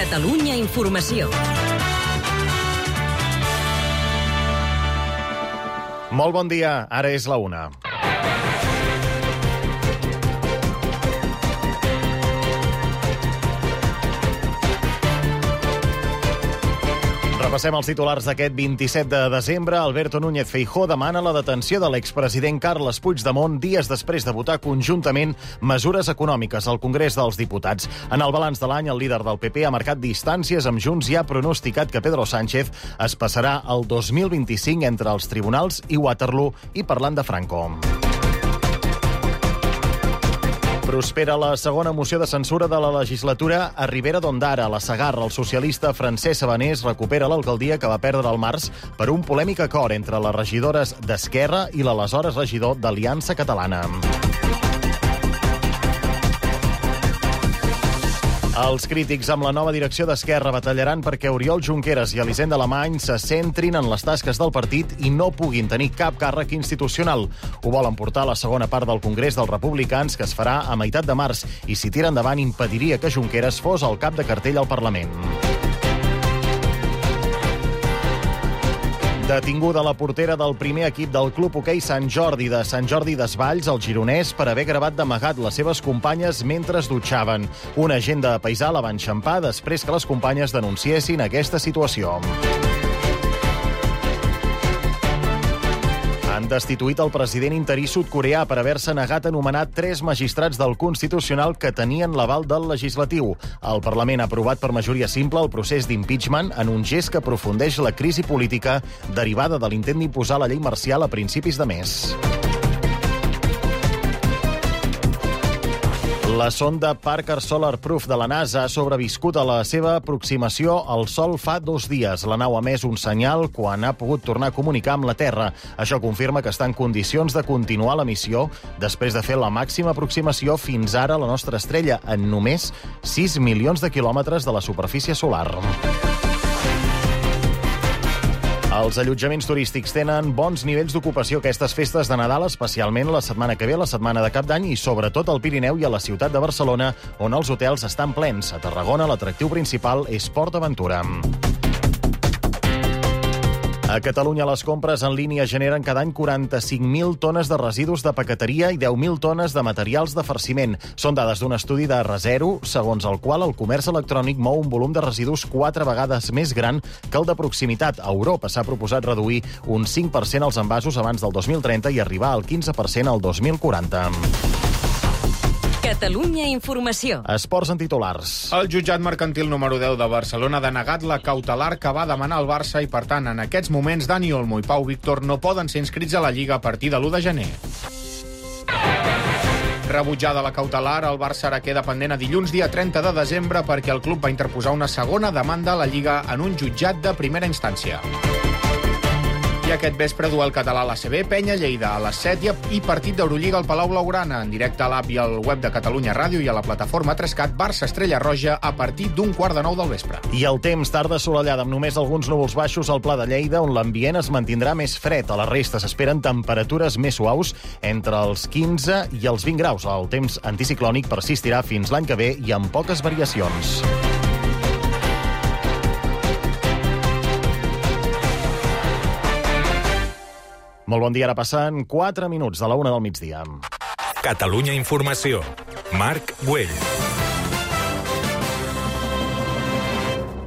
Catalunya Informació. Molt bon dia, ara és la 1. Repassem els titulars d'aquest 27 de desembre. Alberto Núñez Feijóo demana la detenció de l'expresident Carles Puigdemont dies després de votar conjuntament mesures econòmiques al Congrés dels Diputats. En el balanç de l'any, el líder del PP ha marcat distàncies amb Junts i ha pronosticat que Pedro Sánchez es passarà el 2025 entre els tribunals i Waterloo i parlant de Franco. Prospera la segona moció de censura de la legislatura a Ribera d'Ondara. A la Segarra, el socialista Francesc Sabanés recupera l'alcaldia que va perdre al març per un polèmic acord entre les regidores d'Esquerra i l'aleshores regidor d'Aliança Catalana. Els crítics amb la nova direcció d'Esquerra batallaran perquè Oriol Junqueras i Elisenda Alemany se centrin en les tasques del partit i no puguin tenir cap càrrec institucional. Ho volen portar a la segona part del Congrés dels Republicans, que es farà a meitat de març, i si tira endavant impediria que Junqueras fos el cap de cartell al Parlament. Detinguda la portera del primer equip del Club Hoquei Sant Jordi de Sant Jordi Desvalls, el gironès, per haver gravat d'amagat les seves companyes mentre es dutxaven. Un agent de paisà la va enxampar després que les companyes denunciessin aquesta situació. Han destituït el president interí sud-coreà per haver-se negat a nomenar 3 magistrats del Constitucional que tenien l'aval del legislatiu. El Parlament ha aprovat per majoria simple el procés d'impeachment en un gest que aprofundeix la crisi política derivada de l'intent d'imposar la llei marcial a principis de mes. La sonda Parker Solar Proof de la NASA ha sobreviscut a la seva aproximació al Sol fa 2 dies. La nau ha emès un senyal quan ha pogut tornar a comunicar amb la Terra. Això confirma que està en condicions de continuar la missió després de fer la màxima aproximació fins ara a la nostra estrella en només 6 milions de quilòmetres de la superfície solar. Els allotjaments turístics tenen bons nivells d'ocupació aquestes festes de Nadal, especialment la setmana que ve, la setmana de Cap d'Any, i sobretot al Pirineu i a la ciutat de Barcelona, on els hotels estan plens. A Tarragona, l'atractiu principal és Port Aventura. A Catalunya, les compres en línia generen cada any 45.000 tones de residus de paqueteria i 10.000 tones de materials de farciment. Són dades d'un estudi de Resero, segons el qual el comerç electrònic mou un volum de residus 4 vegades més gran que el de proximitat. A Europa s'ha proposat reduir un 5% els envasos abans del 2030 i arribar al 15% al 2040. Catalunya Informació. Esports en titulars. El jutjat mercantil número 10 de Barcelona ha denegat la cautelar que va demanar el Barça i, per tant, en aquests moments, Dani Olmo i Pau Víctor no poden ser inscrits a la Lliga a partir de l'1 de gener. Rebutjada la cautelar, el Barça ara queda pendent a dilluns, dia 30 de desembre, perquè el club va interposar una segona demanda a la Lliga en un jutjat de primera instància. I aquest vespre duel català a l'ACB, Penya Lleida a les 7 i partit d'Eurolliga al Palau Blaugrana, en directe a l'app i al web de Catalunya Ràdio i a la plataforma 3CAT, Barça Estrella Roja a partir d'1:15 del vespre. I el temps, tarda assolellada amb només alguns núvols baixos al Pla de Lleida, on l'ambient es mantindrà més fred. A la resta s'esperen temperatures més suaus entre els 15 i els 20 graus. El temps anticiclònic persistirà fins l'any que ve i amb poques variacions. Molt bon dia, ara passen 4 minuts de la 1 del migdia. Catalunya Informació. Marc Güell.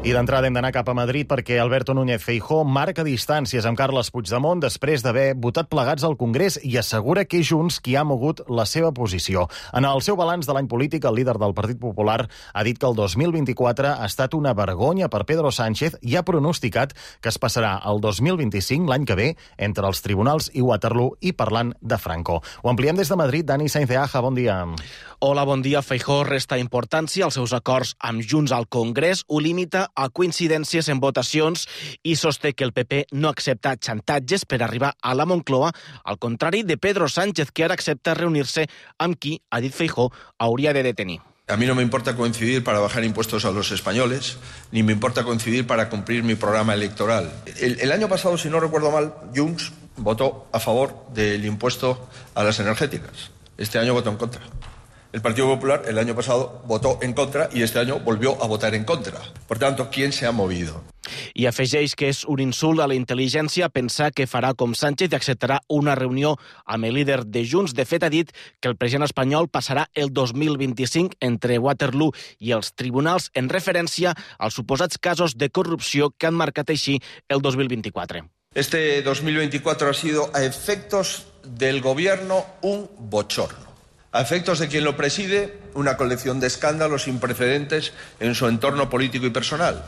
I d'entrada hem d'anar cap a Madrid perquè Alberto Núñez Feijóo marca distàncies amb Carles Puigdemont després d'haver votat plegats al Congrés i assegura que és Junts qui ha mogut la seva posició. En el seu balanç de l'any polític, el líder del Partit Popular ha dit que el 2024 ha estat una vergonya per Pedro Sánchez i ha pronosticat que es passarà el 2025, l'any que ve, entre els tribunals i Waterloo i parlant de Franco. Ho ampliem des de Madrid. Dani Sainz de Aja, bon dia. Hola, bon dia. Feijóo resta importància als seus acords amb Junts al Congrés, ho limita a coincidències en votacions i sosté que el PP no accepta xantatges per arribar a la Moncloa, al contrari de Pedro Sánchez, que ara accepta reunir-se amb qui, ha dit Feijóo, hauria de detenir. A mí no me importa coincidir para bajar impuestos a los españoles, ni me importa coincidir para cumplir mi programa electoral. El año pasado, si no recuerdo mal, Junts votó a favor del impuesto a las energéticas. Este año votó en contra. El Partido Popular el año pasado votó en contra y este año volvió a votar en contra. Por tanto, ¿quién se ha movido? I afegeix que és un insult a la intel·ligència pensar que farà com Sánchez i acceptarà una reunió amb el líder de Junts. De fet, ha dit que el president espanyol passarà el 2025 entre Waterloo i els tribunals en referència als suposats casos de corrupció que han marcat així el 2024. Este 2024 ha sido, a efectos del gobierno, un bochorno. A efectos de quien lo preside, una colección de escándalos sin precedentes en su entorno político y personal.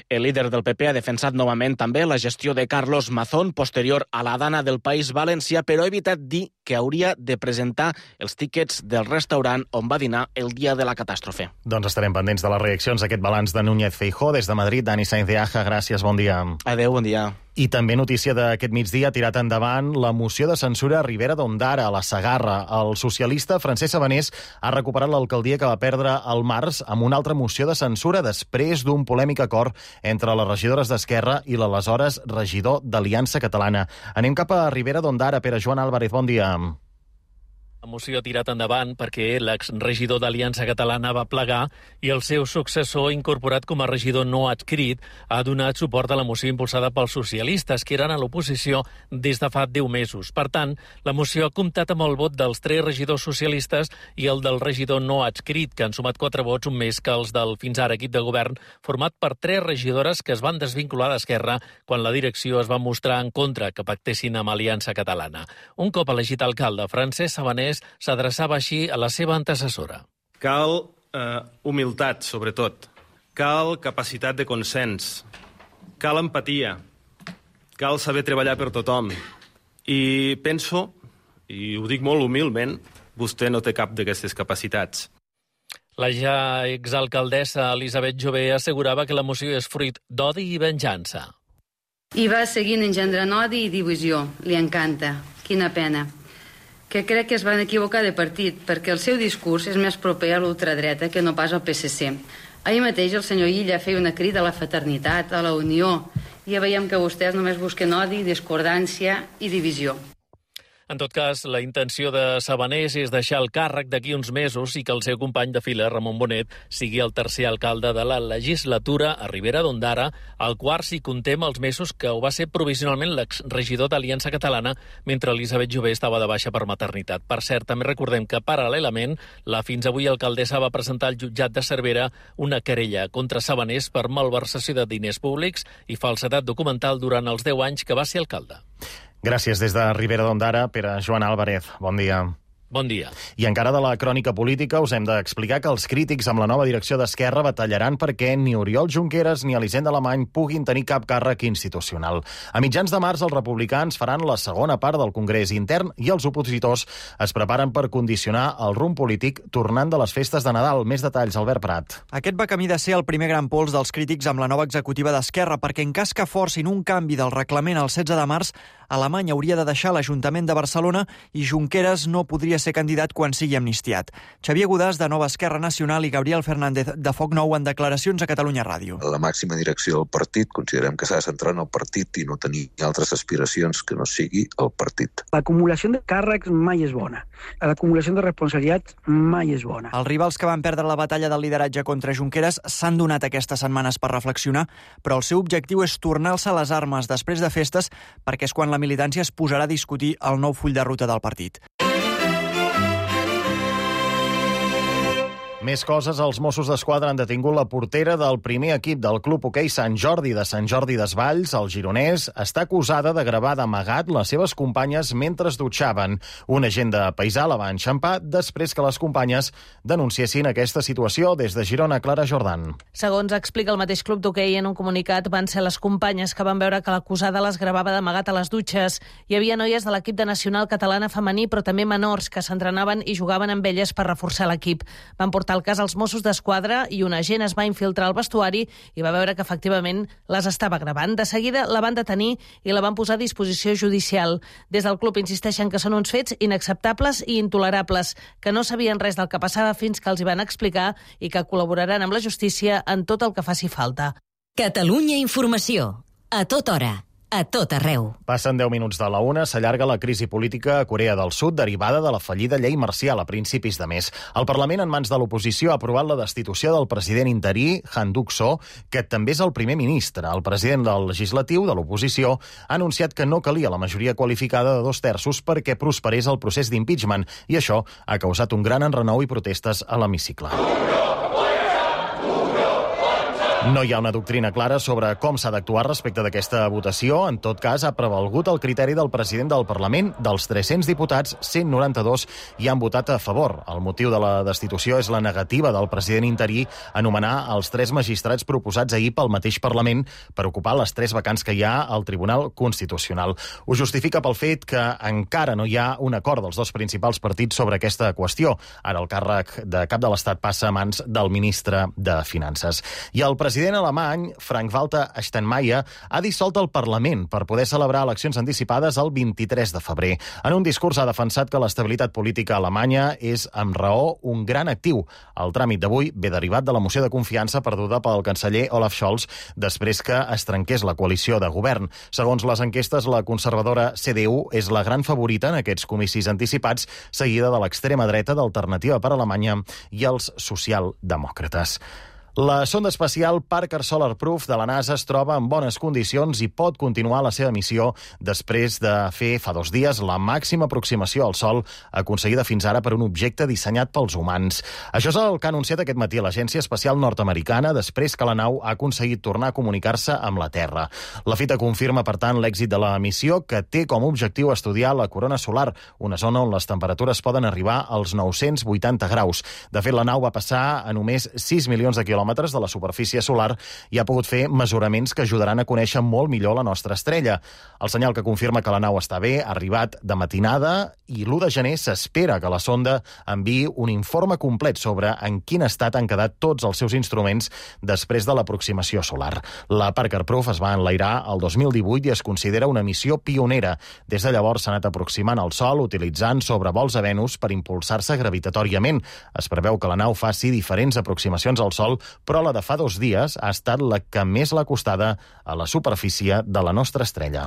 El líder del PP ha defensat novament també la gestió de Carlos Mazón posterior a la dana del País Valencià, però ha evitat dir que hauria de presentar els tíquets del restaurant on va dinar el dia de la catàstrofe. Doncs estarem pendents de les reaccions a aquest balanç de Núñez Feijóo. Des de Madrid, Dani Sainz de Aja, gràcies, bon dia. Adéu, bon dia. I també notícia d'aquest migdia ha tirat endavant la moció de censura a Ribera d'Ondara, a la Segarra. El socialista Francesc Sabanés ha recuperat l'alcaldia que va perdre al març amb una altra moció de censura després d'un polèmic acord entre les regidores d'Esquerra i l'aleshores regidor d'Aliança Catalana. Anem cap a Ribera d'Ondara. Pere Joan Álvarez, bon dia. La moció ha tirat endavant perquè l'exregidor d'Aliança Catalana va plegar i el seu successor, incorporat com a regidor no adscrit, ha donat suport a la moció impulsada pels socialistes, que eren a l'oposició des de fa 10 mesos. Per tant, la moció ha comptat amb el vot dels 3 regidors socialistes i el del regidor no adscrit, que han sumat 4 vots, un més que els del fins ara equip de govern, format per 3 regidores que es van desvincular d'Esquerra quan la direcció es va mostrar en contra que pactessin amb Aliança Catalana. Un cop elegit alcalde, Francesc Sabanés s'adreçava així a la seva antecessora. Cal humilitat, sobretot. Cal capacitat de consens. Cal empatia. Cal saber treballar per tothom. I penso, i ho dic molt humilment, vostè no té cap d'aquestes capacitats. La ja exalcaldessa Elisabet Jové assegurava que la moció és fruit d'odi i venjança. I va seguint engendrant odi i divisió. Li encanta. Quina pena. Que crec que es van equivocar de partit, perquè el seu discurs és més proper a l'ultradreta que no pas al PSC. Ahir mateix el senyor Illa feia una crida a la fraternitat, a la unió, i ja veiem que vostès només busquen odi, discordància i divisió. En tot cas, la intenció de Sabanés és deixar el càrrec d'aquí uns mesos i que el seu company de fila, Ramon Bonet, sigui el tercer alcalde de la legislatura a Ribera d'Ondara, el quart si comptem els mesos que ho va ser provisionalment l'exregidor d'Aliança Catalana mentre Elisabet Jové estava de baixa per maternitat. Per cert, també recordem que paral·lelament la fins avui alcaldessa va presentar al jutjat de Cervera una querella contra Sabanés per malversació de diners públics i falsedat documental durant els 10 anys que va ser alcalde. Gràcies des de Ribera d'Ondara, Pere Joan Álvarez. Bon dia. Bon dia. I encara de la crònica política us hem d'explicar que els crítics amb la nova direcció d'Esquerra batallaran perquè ni Oriol Junqueras ni Elisenda Alemany puguin tenir cap càrrec institucional. A mitjans de març els republicans faran la segona part del Congrés intern i els opositors es preparen per condicionar el rumb polític tornant de les festes de Nadal. Més detalls, Albert Prat. Aquest va camí de ser el primer gran pols dels crítics amb la nova executiva d'Esquerra, perquè en cas que forcin un canvi del reglament el 16 de març, Alemany hauria de deixar l'Ajuntament de Barcelona i Junqueras no podria ser candidat quan sigui amnistiat. Xavier Godàs, de Nova Esquerra Nacional, i Gabriel Fernández, de Foc Nou, en declaracions a Catalunya Ràdio. La màxima direcció del partit considerem que s'ha de centrar en el partit i no tenir altres aspiracions que no sigui el partit. L'acumulació de càrrecs mai és bona. L'acumulació de responsabilitats mai és bona. Els rivals que van perdre la batalla del lideratge contra Junqueras s'han donat aquestes setmanes per reflexionar, però el seu objectiu és tornar-se a les armes després de festes, perquè és quan la militància es posarà a discutir el nou full de ruta del partit. Més coses, els Mossos d'Esquadra han detingut la portera del primer equip del Club Hoquei Sant Jordi de Sant Jordi Desvalls, el gironès, està acusada de gravar d'amagat les seves companyes mentre es dutxaven. Un agent de paisà la va enxampar després que les companyes denunciessin aquesta situació. Des de Girona, Clara Jordan. Segons explica el mateix club d'hoquei en un comunicat, van ser les companyes que van veure que l'acusada les gravava d'amagat a les dutxes. Hi havia noies de l'equip de nacional catalana femení, però també menors, que s'entrenaven i jugaven amb elles per reforçar l'equip. Van portar el cas als Mossos d'Esquadra i un agent es va infiltrar al vestuari i va veure que efectivament les estava gravant. De seguida la van detenir i la van posar a disposició judicial. Des del club insisteixen que són uns fets inacceptables i intolerables, que no sabien res del que passava fins que els hi van explicar i que col·laboraran amb la justícia en tot el que faci falta. Catalunya Informació. A tota hora. a tot arreu. Passen 10 minuts de la 1, s'allarga la crisi política a Corea del Sud derivada de la fallida llei marcial a principis de mes. El Parlament, en mans de l'oposició, ha aprovat la destitució del president interí, Han Duck-soo, que també és el primer ministre. El president del legislatiu de l'oposició ha anunciat que no calia la majoria qualificada de 2/3 perquè prosperés el procés d'impeachment, i això ha causat un gran enrenou i protestes a l'hemicicle. No hi ha una doctrina clara sobre com s'ha d'actuar respecte d'aquesta votació. En tot cas, ha prevalgut el criteri del president del Parlament. Dels 300 diputats, 192 hi han votat a favor. El motiu de la destitució és la negativa del president interí a nomenar els 3 magistrats proposats ahir pel mateix Parlament per ocupar les 3 vacants que hi ha al Tribunal Constitucional. Ho justifica pel fet que encara no hi ha un acord dels 2 principals partits sobre aquesta qüestió. Ara el càrrec de cap de l'Estat passa a mans del ministre de Finances. I el president alemany, Frank-Walter Steinmeier, ha dissolt el Parlament per poder celebrar eleccions anticipades el 23 de febrer. En un discurs ha defensat que l'estabilitat política alemanya és, amb raó, un gran actiu. El tràmit d'avui ve derivat de la moció de confiança perduda pel canceller Olaf Scholz després que es trenqués la coalició de govern. Segons les enquestes, la conservadora CDU és la gran favorita en aquests comicis anticipats, seguida de l'extrema dreta d'Alternativa per Alemanya i els socialdemòcrates. La sonda espacial Parker Solar Probe de la NASA es troba en bones condicions i pot continuar la seva missió després de fer fa 2 dies la màxima aproximació al Sol aconseguida fins ara per un objecte dissenyat pels humans. Això és el que ha anunciat aquest matí l'Agència Espacial Nord-Americana després que la nau ha aconseguit tornar a comunicar-se amb la Terra. La fita confirma, per tant, l'èxit de la missió, que té com a objectiu estudiar la corona solar, una zona on les temperatures poden arribar als 980 graus. De fet, la nau va passar a només 6 milions de quilòmetres de la superfície solar i ha pogut fer mesuraments que ajudaran a conèixer molt millor la nostra estrella. El senyal que confirma que la nau està bé ha arribat de matinada i l'1 de gener s'espera que la sonda enviï un informe complet sobre en quin estat han quedat tots els seus instruments després de l'aproximació solar. La Parker Probe es va enlairar el 2018 i es considera una missió pionera. Des de llavors s'ha anat aproximant al Sol utilitzant sobrevols a Venus per impulsar-se gravitatòriament. Es preveu que la nau faci diferents aproximacions al Sol, però la de fa 2 dies ha estat la que més l'ha acostada a la superfície de la nostra estrella.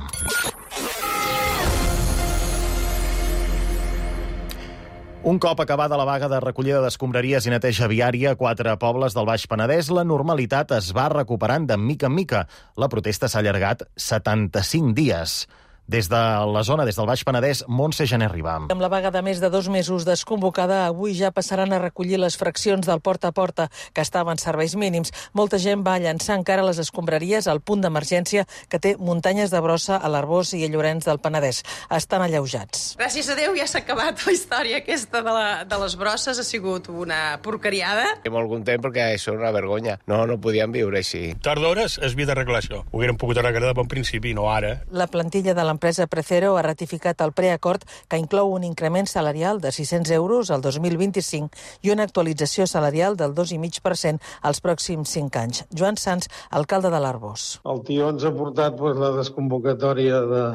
Un cop acabada la vaga de recollida d'escombraries i neteja viària a 4 pobles del Baix Penedès, la normalitat es va recuperant de mica en mica. La protesta s'ha allargat 75 dies. Des de la zona, des del Baix Penedès, Montse Gené Ribam. Amb la vaga de més de 2 mesos desconvocada, avui ja passaran a recollir les fraccions del porta a porta, que estaven en serveis mínims. Molta gent va llançar encara les escombraries al punt d'emergència que té muntanyes de brossa a l'Arboç i a Llorenç del Penedès. Estan alleujats. Gràcies a Déu ja s'ha acabat la història aquesta de les brosses, ha sigut una porcariada. Estic molt content perquè això és una vergonya. No podíem viure així. Tard d'hores es havia d'arreglar això. Ho haguérem pogut arreglar de bon principi, no ara. La plantilla de l'empresa Precero ha ratificat el preacord que inclou un increment salarial de 600 euros al 2025 i una actualització salarial del 2,5% als pròxims 5 anys. Joan Sans, alcalde de l'Arboç. El tio ens ha portat la desconvocatòria de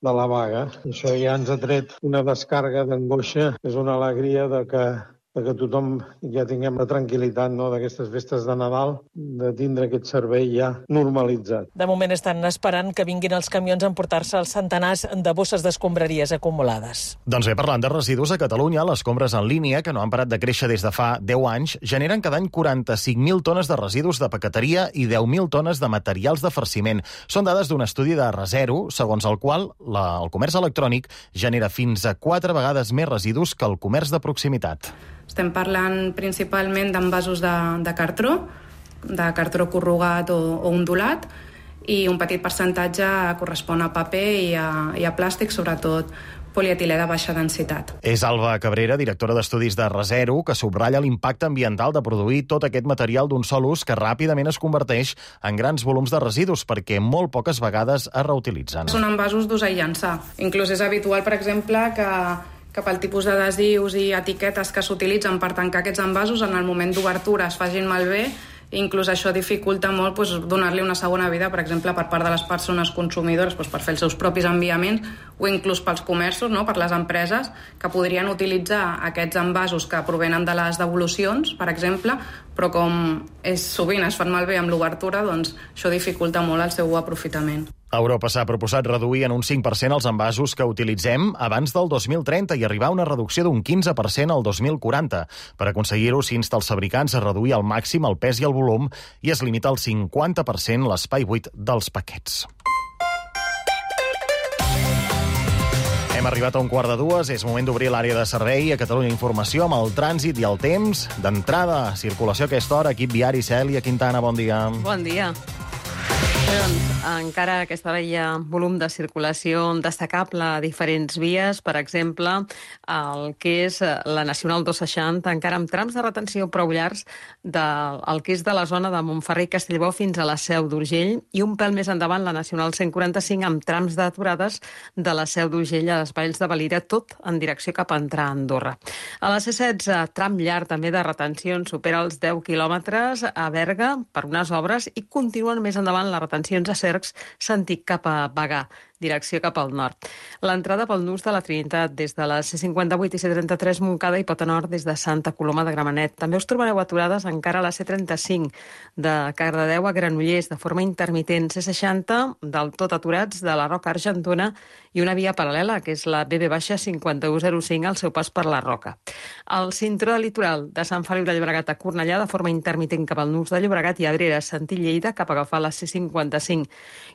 la vaga. Això ja ens ha tret una descàrrega d'angoixa. És una alegria de que tothom ja tinguem la tranquil·litat d'aquestes festes de Nadal, de tindre aquest servei ja normalitzat. De moment estan esperant que vinguin els camions a emportar-se els centenars de bosses d'escombraries acumulades. Doncs bé, parlant de residus, a Catalunya, les compres en línia, que no han parat de créixer des de fa 10 anys, generen cada any 45.000 tones de residus de paqueteria i 10.000 tones de materials de farciment. Són dades d'un estudi de Resero, segons el qual el comerç electrònic genera fins a 4 vegades més residus que el comerç de proximitat. Estem parlant principalment d'envasos de cartró corrugat o ondulat, i un petit percentatge correspon a paper i a plàstic, sobretot polietilè de baixa densitat. És Alba Cabrera, directora d'estudis de Resero, que subratlla l'impacte ambiental de produir tot aquest material d'un sol ús que ràpidament es converteix en grans volums de residus perquè molt poques vegades es reutilitzen. Són envasos d'usar i llançar. Inclús és habitual, per exemple, que pel tipus d'adhesius i etiquetes que s'utilitzen per tancar aquests envasos en el moment d'obertura es facin malbé. Inclús això dificulta molt donar-li una segona vida, per exemple, per part de les persones consumidores per fer els seus propis enviaments, o inclús pels comerços, per les empreses, que podrien utilitzar aquests envasos que provenen de les devolucions, per exemple, però com sovint es fan malbé amb l'obertura, doncs això dificulta molt el seu aprofitament. Europa s'ha proposat reduir en un 5% els envasos que utilitzem abans del 2030 i arribar a una reducció d'un 15% al 2040. Per aconseguir-ho, s'insta els fabricants a reduir al màxim el pes i el volum i es limita al 50% l'espai buit dels paquets. Hem arribat a 1:45, és moment d'obrir l'àrea de servei a Catalunya Informació amb el trànsit i el temps. D'entrada, circulació a aquesta hora, equip viari, Cèlia Quintana, bon dia. Bon dia. Doncs, encara aquesta hora hi ha volum de circulació destacable a diferents vies, per exemple, el que és la Nacional 260, encara amb trams de retenció prou llargs del que és de la zona de Montferrer i Castellbò fins a la Seu d'Urgell, i un pèl més endavant la Nacional 145 amb trams d'aturades de la Seu d'Urgell a les Valls de Valira, tot en direcció cap a entrar a Andorra. A la C16, tram llarg també de retencions, supera els 10 quilòmetres a Berga per unes obres i continuen més endavant les retencions a Cercs, sentit cap a Bagà, direcció cap al nord. L'entrada pel nus de la Trinitat des de la C58 i C33 Montcada i Pota Nord des de Santa Coloma de Gramenet. També us trobareu aturades encara a la C35 de Cardedeu a Granollers de forma intermitent, C60 del tot aturats de la Roca Argentona i una via paral·lela, que és la BB-5105 al seu pas per la Roca. El cinturó de litoral de Sant Feliu de Llobregat a Cornellà de forma intermitent cap al nus de Llobregat i Abrera, sentit Lleida cap a agafar la C55.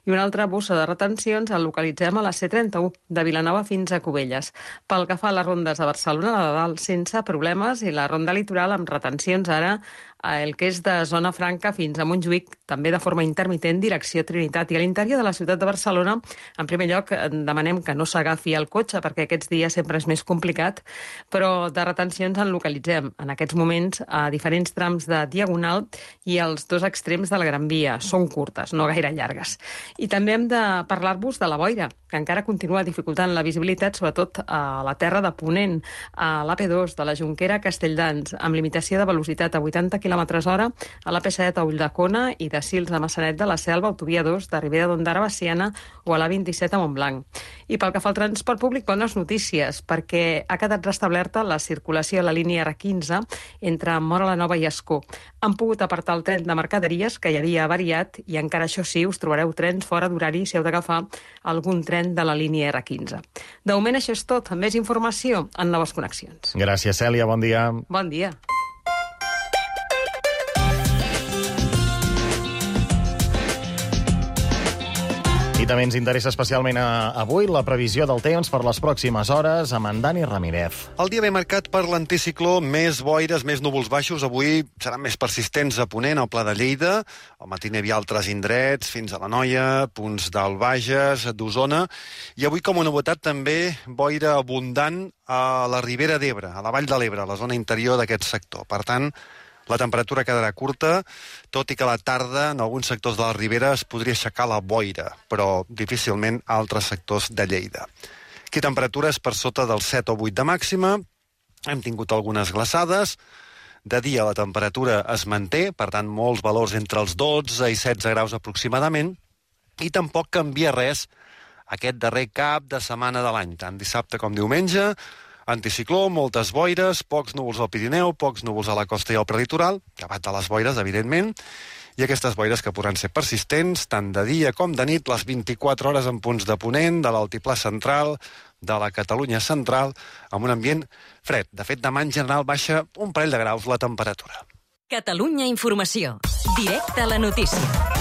I una altra bossa de retencions el localitzem a la C31 de Vilanova fins a Cubelles. Pel que fa a les rondes de Barcelona, la de dalt sense problemes i la ronda litoral amb retencions ara el que és de Zona Franca fins a Montjuïc, també de forma intermitent, direcció Trinitat. I a l'interior de la ciutat de Barcelona, en primer lloc, demanem que no s'agafi el cotxe, perquè aquests dies sempre és més complicat, però de retencions en localitzem en aquests moments a diferents trams de Diagonal i als dos extrems de la Gran Via. Són curtes, no gaire llargues. I també hem de parlar-vos de la boira, que encara continua dificultant la visibilitat, sobretot a la terra de Ponent, a l'AP2 de la Jonquera a Castelldans, amb limitació de velocitat a 80 km/h, a l'AP7 a Ulldecona i de Sils a Massanet de la Selva, autovia 2 de Ribera d'Ondara a Baciana o a l'A27 a Montblanc. I pel que fa al transport públic, bones notícies, perquè ha quedat restablerta la circulació a la línia R15 entre Móra la Nova i Ascó. Han pogut apartar el tren de mercaderies, que hi havia avariat, i encara això sí, us trobareu trens fora d'horari si heu d'agafar algun tren de la línia R15. De moment això és tot. Més informació en Noves Connexions. Gràcies, Cèlia. Bon dia. Bon dia. I també ens interessa especialment avui la previsió del temps per les pròximes hores amb en Dani Ramírez. El dia ve marcat per l'anticicló, més boires, més núvols baixos. Avui seran més persistents a Ponent, al Pla de Lleida. Al matí n'hi havia altres indrets, fins a l'Anoia, punts del Bages, d'Osona. I avui, com a novetat, també boira abundant a la Ribera d'Ebre, a la Vall de l'Ebre, a la zona interior d'aquest sector. Per tant, la temperatura quedarà curta, tot i que a la tarda en alguns sectors de la Ribera es podria aixecar la boira, però difícilment a altres sectors de Lleida. Aquí temperatures per sota dels 7 o 8 de màxima, hem tingut algunes glaçades, de dia la temperatura es manté, per tant molts valors entre els 12 i 16 graus aproximadament, i tampoc canvia res aquest darrer cap de setmana de l'any, tant dissabte com diumenge. Anticicló, moltes boires, pocs núvols al Pirineu, pocs núvols a la costa i al prelitoral, llevat de les boires, evidentment, i aquestes boires que podran ser persistents, tant de dia com de nit, les 24 hores en punts de Ponent, de l'Altiplà Central, de la Catalunya Central, amb un ambient fred. De fet, demà en general baixa un parell de graus la temperatura. Catalunya Informació. Directe a la notícia.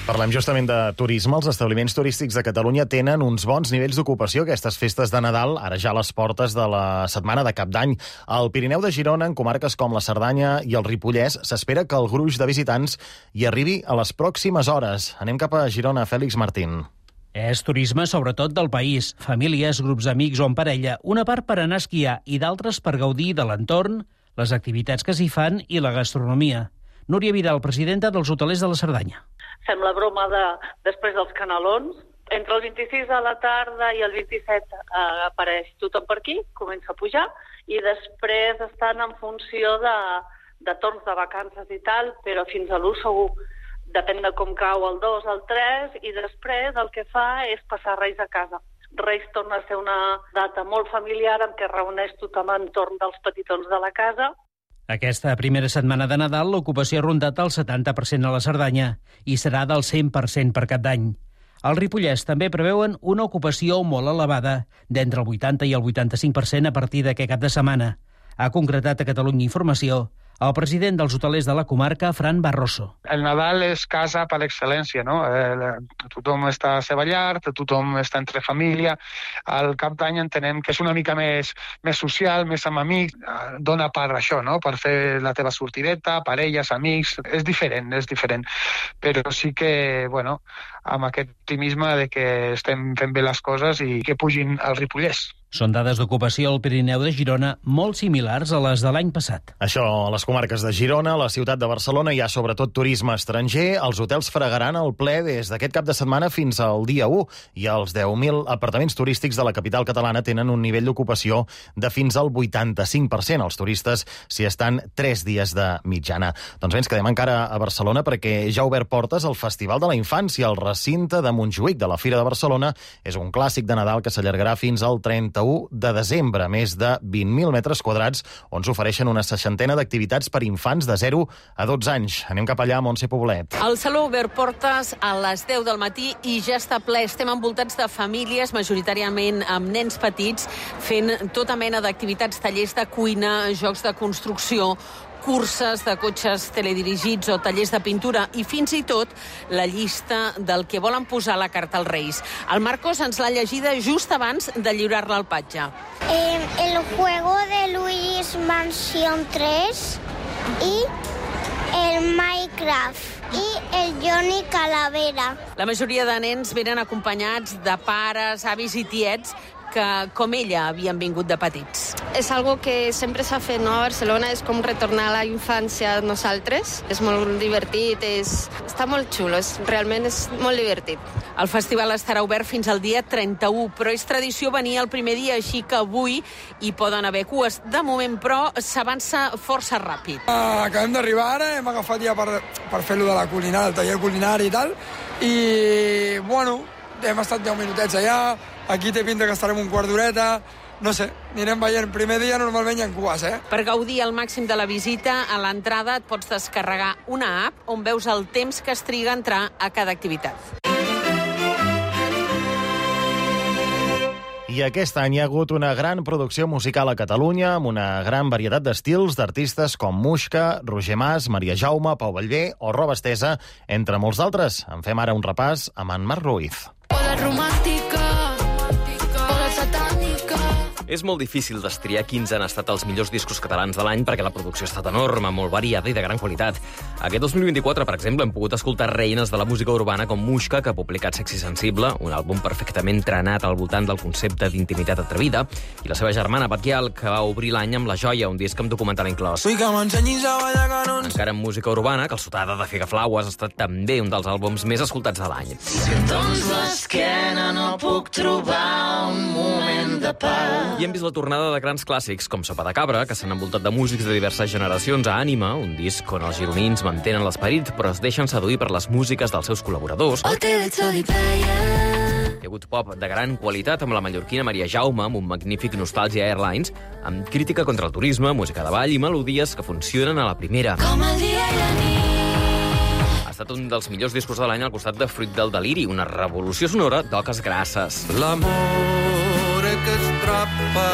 Parlem justament de turisme. Els establiments turístics de Catalunya tenen uns bons nivells d'ocupació aquestes festes de Nadal, ara ja a les portes de la setmana de Cap d'Any. Al Pirineu de Girona, en comarques com la Cerdanya i el Ripollès, s'espera que el gruix de visitants hi arribi a les pròximes hores. Anem cap a Girona, Fèlix Martín. És turisme sobretot del país, famílies, grups d'amics o en parella, una part per anar a esquiar i d'altres per gaudir de l'entorn, les activitats que s'hi fan i la gastronomia. Núria Vidal, presidenta dels hotelers de la Cerdanya. Fem la broma després dels canelons. Entre el 26 a la tarda i el 27 apareix tothom per aquí, comença a pujar, i després estan en funció de torns de vacances i tal, però fins a l'1 segur. Depèn de com cau el 2, el 3, i després el que fa és passar Reis a casa. Reis torna a ser una data molt familiar en què reuneix tothom entorn dels petitons de la casa. Aquesta primera setmana de Nadal l'ocupació ha rondat el 70% a la Cerdanya i serà del 100% per Cap d'Any. Al Ripollès també preveuen una ocupació molt elevada, d'entre el 80 i el 85% a partir d'aquest cap de setmana. Ha concretat a Catalunya Informació el president dels hotelers de la comarca, Fran Barroso. El Nadal és casa per excel·lència, no? Tothom està a la seva llar, tothom està entre família. Al Cap d'Any entenem que és una mica més social, més amb amics. Dona per això, no? Per fer la teva sortideta, parelles, amics. És diferent. Però sí que, bueno, amb aquest optimisme de que estem fent bé les coses i que pugin al Ripollès. Són dades d'ocupació al Pirineu de Girona molt similars a les de l'any passat. Això, a les comarques de Girona, a la ciutat de Barcelona, hi ha sobretot turisme estranger. Els hotels fregaran el ple des d'aquest cap de setmana fins al dia 1 i els 10.000 apartaments turístics de la capital catalana tenen un nivell d'ocupació de fins al 85%. Els turistes s'hi estan 3 dies de mitjana. Doncs bé, ens quedem encara a Barcelona perquè ja ha obert portes el Festival de la Infància al recinte de Montjuïc de la Fira de Barcelona. És un clàssic de Nadal que s'allargarà fins al 31 de desembre, més de 20.000 metres quadrats, on s'ofereixen una 60ena d'activitats per infants de 0 a 12 anys. Anem cap allà, Montse Poblet. El Saló ha obert portes a les 10 del matí i ja està ple. Estem envoltats de famílies, majoritàriament amb nens petits, fent tota mena d'activitats, tallers de cuina, jocs de construcció, curses de cotxes teledirigits o tallers de pintura i fins i tot la llista del que volen posar a la carta als Reis. El Marcos ens l'ha llegida just abans de lliurar-la al patge. El juego de Luis Mansion 3 y el Minecraft i el Johnny Calavera. La majoria de nens venen acompanyats de pares, avis i tiets que, com ella, havien vingut de petits. És algo que sempre s'ha fet, no? A Barcelona és com retornar a la infància a nosaltres. És molt divertit, està molt xulo, realment és molt divertit. El festival estarà obert fins al dia 31, però és tradició venir el primer dia, així que avui hi poden haver cues. De moment, però, s'avança força ràpid. Acabem d'arribar ara, hem agafat ja per fer-lo de la culinària, el taller culinari i tal, i, bueno, hem estat 10 minutets allà, aquí té pinta que estarem un quart d'horeta, no sé, anirem veient. Primer dia normalment hi ha cues, Per gaudir al màxim de la visita, a l'entrada et pots descarregar una app on veus el temps que es triga a entrar a cada activitat. I aquest any hi ha hagut una gran producció musical a Catalunya amb una gran varietat d'estils d'artistes com Muixca, Roger Mas, Maria Jaume, Pau Ballbé o Roba Estesa, entre molts d'altres. En fem ara un repàs amb en Marc Ruiz. Hola romàntica, hola satànica. És molt difícil destriar quins han estat els millors discos catalans de l'any perquè la producció ha estat enorme, molt variada i de gran qualitat. Aquest 2024, per exemple, hem pogut escoltar reines de la música urbana com Muixca, que ha publicat Sexy Sensible, un àlbum perfectament trenat al voltant del concepte d'intimitat atrevida, i la seva germana, Batguial, que va obrir l'any amb La Joia, un disc amb documental inclòs. Encara en música urbana, Calçotada de Figaflaues ha estat també un dels àlbums més escoltats de l'any. Si em dones l'esquena no puc trobar un moment de pau. I hem vist la tornada de grans clàssics com Sopa de Cabra, que s'han envoltat de músics de diverses generacions, a Ànima, un disc on els gironins mantenen l'esperit però es deixen seduir per les músiques dels seus col·laboradors. Hi ha hagut pop de gran qualitat amb la mallorquina Maria Jaume, amb un magnífic Nostàlgia Airlines, amb crítica contra el turisme, música de ball i melodies que funcionen a la primera. Com el dia i la nit. Ha estat un dels millors discos de l'any al costat de Fruit del Deliri, una revolució sonora d'oques grasses. L'amor que estrapa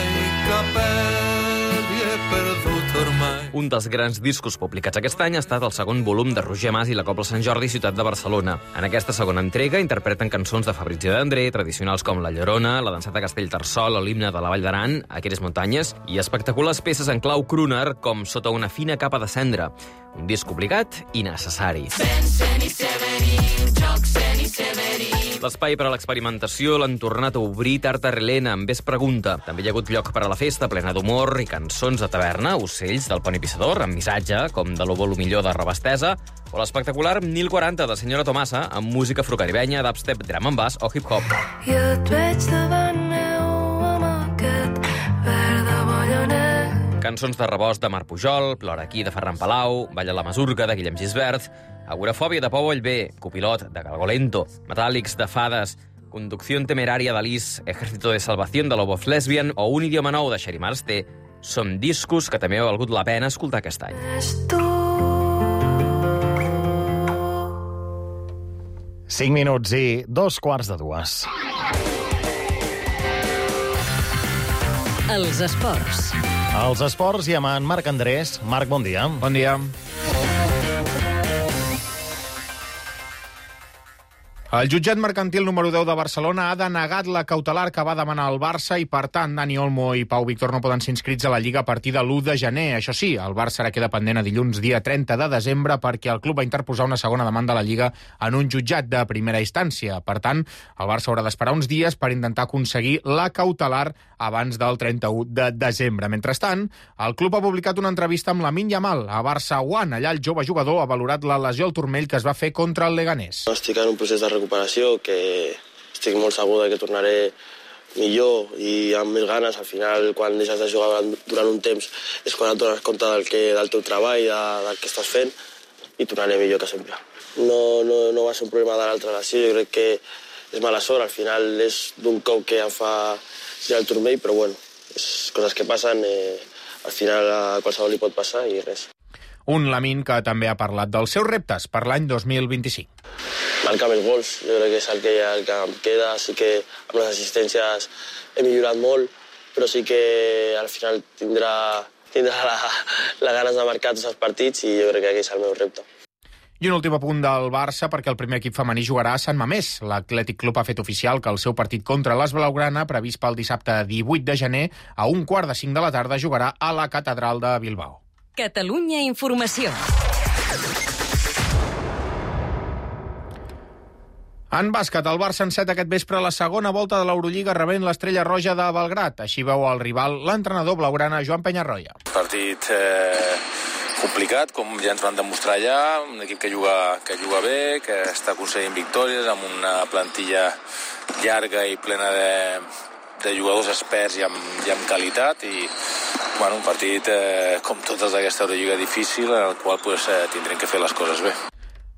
i que perd i he perdut ormai. Un dels grans discos publicats aquest any ha estat el segon volum de Roger Mas i la Cobla Sant Jordi, ciutat de Barcelona. En aquesta segona entrega interpreten cançons de Fabrizio de André, tradicionals com La Llorona, La danseta Castellterçol o l'himne de la Vall d'Aran, Aquelles muntanyes, i espectaculars peces en clau crooner com Sota una fina capa de cendra. Un disc obligat i necessari. L'espai per a l'experimentació l'han tornat a obrir Tard a Relena amb Ves Pregunta. També hi ha hagut lloc per a la festa, plena d'humor i cançons de taverna, Ocells del Pont i Pissador, amb missatge, com de l'Ovo lo millor de Roba Estesa, o l'espectacular 1040 de Senyora Tomasa, amb música afrocaribenya, dubstep, drum and bass o hip-hop. I et veig davant meu amb aquest verd de ballonet. Cançons de Rebost de Marc Pujol, Plora aquí de Ferran Palau, Balla la Masurca de Guillem Gisbert, Agorafòbia de Pau Ballbé, Copilot de Galgolento, Metàl·lics de Fades, Conducción temeraria d'Alice, Ejército de Salvación de Love of Lesbian o Un idioma nou de Sherry Marste són discos que també ha valgut la pena escoltar aquest any. Cinc minuts i 2:15. Els esports. Els esports i amb en Marc Andrés. Marc, bon dia. Bon dia. El jutjat mercantil número 10 de Barcelona ha denegat la cautelar que va demanar el Barça i, per tant, Dani Olmo i Pau Víctor no poden ser inscrits a la Lliga a partir de l'1 de gener. Això sí, el Barça ara queda pendent a dilluns, dia 30 de desembre, perquè el club va interposar una segona demanda a la Lliga en un jutjat de primera instància. Per tant, el Barça haurà d'esperar uns dies per intentar aconseguir la cautelar abans del 31 de desembre. Mentrestant, el club ha publicat una entrevista amb Lamine Yamal a Barça One. Allà el jove jugador ha valorat la lesió al turmell que es va fer contra el Leganés. Estic en un procés de recuperació que estic molt segur que tornaré millor i amb més ganes. Al final, quan deixes de jugar durant un temps és quan et dones compte del teu treball, del que estàs fent, i tornaré millor que sempre. No va ser un problema de l'altra lesió, jo crec que és mala sort. Al final és d'un cop que em fa girar el turmell, però bueno, és coses que passen, al final a qualsevol li pot passar i res. Un Lamine que també ha parlat dels seus reptes per l'any 2025. Marcar més gols, jo crec que és el que em queda. Sí que amb les assistències he millorat molt, però sí que al final tindrà la ganes de marcar tots els partits i jo crec que aquest és el meu repte. I un últim apunt del Barça, perquè el primer equip femení jugarà a Sant Mamés. L'Atlètic Club ha fet oficial que el seu partit contra l'As Blaugrana, previst pel dissabte 18 de gener, a 1:45 de la tarda, jugarà a la Catedral de Bilbao. Catalunya Informació. En bàsquet, el Barça enceta aquest vespre la segona volta de l'Eurolliga rebent l'Estrella Roja de Belgrat. Així veu el rival l'entrenador blaugrana Joan Peñarroya. Partit complicat, com ja ens van demostrar allà, un equip que juga bé, que està aconseguint victòries, amb una plantilla llarga i plena de jugadors experts i amb qualitat, i un partit, com totes d'aquesta Eurolliga, difícil, en el qual tindrem que fer les coses bé.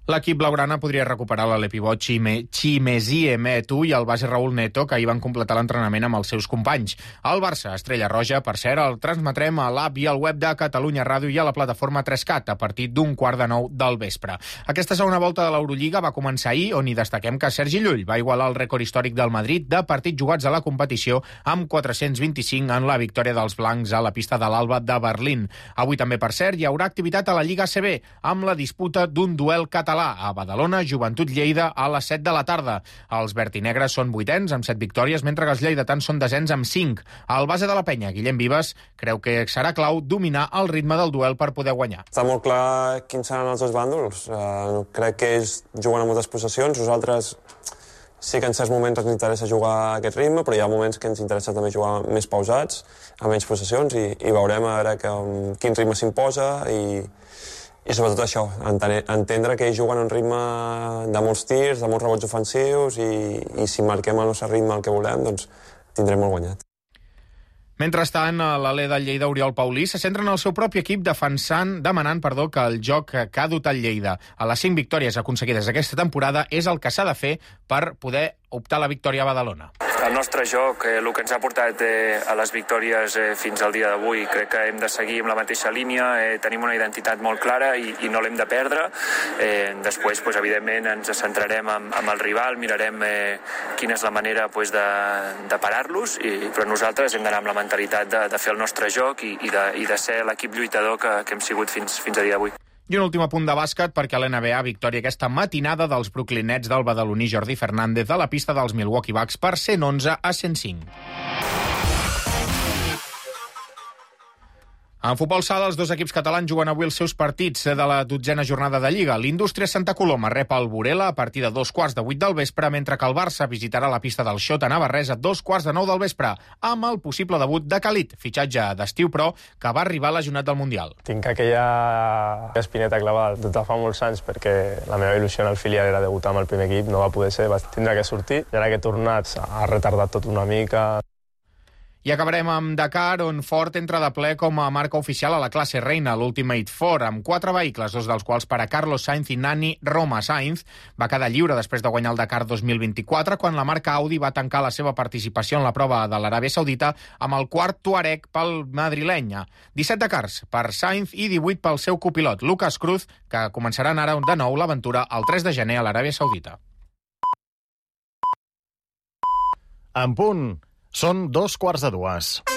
L'equip blaugrana podria recuperar l'ale pivot Chimezie Metu i el base Raúl Neto, que ahir van completar l'entrenament amb els seus companys. El Barça, Estrella Roja, per cert, el transmetrem a l'app i al web de Catalunya Ràdio i a la plataforma 3CAT a partir d'1:15 del vespre. Aquesta segona volta de l'Eurolliga va començar ahir, on hi destaquem que Sergi Llull va igualar el rècord històric del Madrid de partits jugats a la competició amb 425 en la victòria dels blancs a la pista de l'Alba de Berlín. Avui també, per cert, hi haurà activitat a la Lliga ACB amb la disputa d'un duel català a Badalona, Joventut Lleida a les 7 de la tarda. Els vertinegres són 8ens amb 7 victòries, mentre que els lleidatans són 10ens amb 5. El base de la penya, Guillem Vives, creu que serà clau dominar el ritme del duel per poder guanyar. Està molt clar quins seran els dos bàndols. Crec que ells juguen a moltes possessions. Nosaltres sí que en certs moments ens interessa jugar a aquest ritme, però hi ha moments que ens interessa també jugar més pausats, amb menys possessions, i veurem a veure quin ritme s'imposa i sobretot això, entendre que ells juguen a un ritme de molts tirs, de molts rebots ofensius, i si marquem el nostre ritme el que volem, doncs tindrem molt guanyat. Mentrestant, l'alè del Lleida, Oriol Paulí, se centra en el seu propi equip demanant que el joc que ha dut el Lleida a les 5 victòries aconseguides aquesta temporada és el que s'ha de fer per poder optar a la victòria a Badalona. El nostre joc, el que ens ha portat a les victòries fins al dia d'avui, crec que hem de seguir amb la mateixa línia, tenim una identitat molt clara i no l'hem de perdre. Després, evidentment, ens centrarem amb el rival, mirarem quina és la manera de parar-los, però nosaltres hem d'anar amb la mentalitat de fer el nostre joc i de ser l'equip lluitador que hem sigut fins a dia d'avui. I un últim apunt de bàsquet, perquè a l'NBA victòria aquesta matinada dels Brooklyn Nets del badaloní Jordi Fernández a la pista dels Milwaukee Bucks per 111-105. En futbol sala, els dos equips catalans juguen avui els seus partits de la 12a jornada de Lliga. L'Indústria Santa Coloma rep el Burela a partir de 7:15 del vespre, mentre que el Barça visitarà la pista del Xota Navarrés a 8:45 del vespre, amb el possible debut de Khalid, fitxatge d'estiu però que va arribar lesionat del Mundial. Tinc aquella espineta clavada des de fa molts anys, perquè la meva il·lusió en el filial era debutar amb el primer equip, no va poder ser, va tindre que sortir, i ara que he tornat ha retardat tot una mica. I acabarem amb Dakar, on Ford entra de ple com a marca oficial a la classe reina, l'Ultimate Four, amb 4 vehicles, 2 dels quals per a Carlos Sainz i Nani Roma. Sainz va quedar lliure després de guanyar el Dakar 2024, quan la marca Audi va tancar la seva participació en la prova de l'Aràbia Saudita amb el quart Touareg pel madrileny. 17 Dakars per Sainz i 18 pel seu copilot, Lucas Cruz, que començaran ara de nou l'aventura el 3 de gener a l'Aràbia Saudita. En punt. Són 2:45.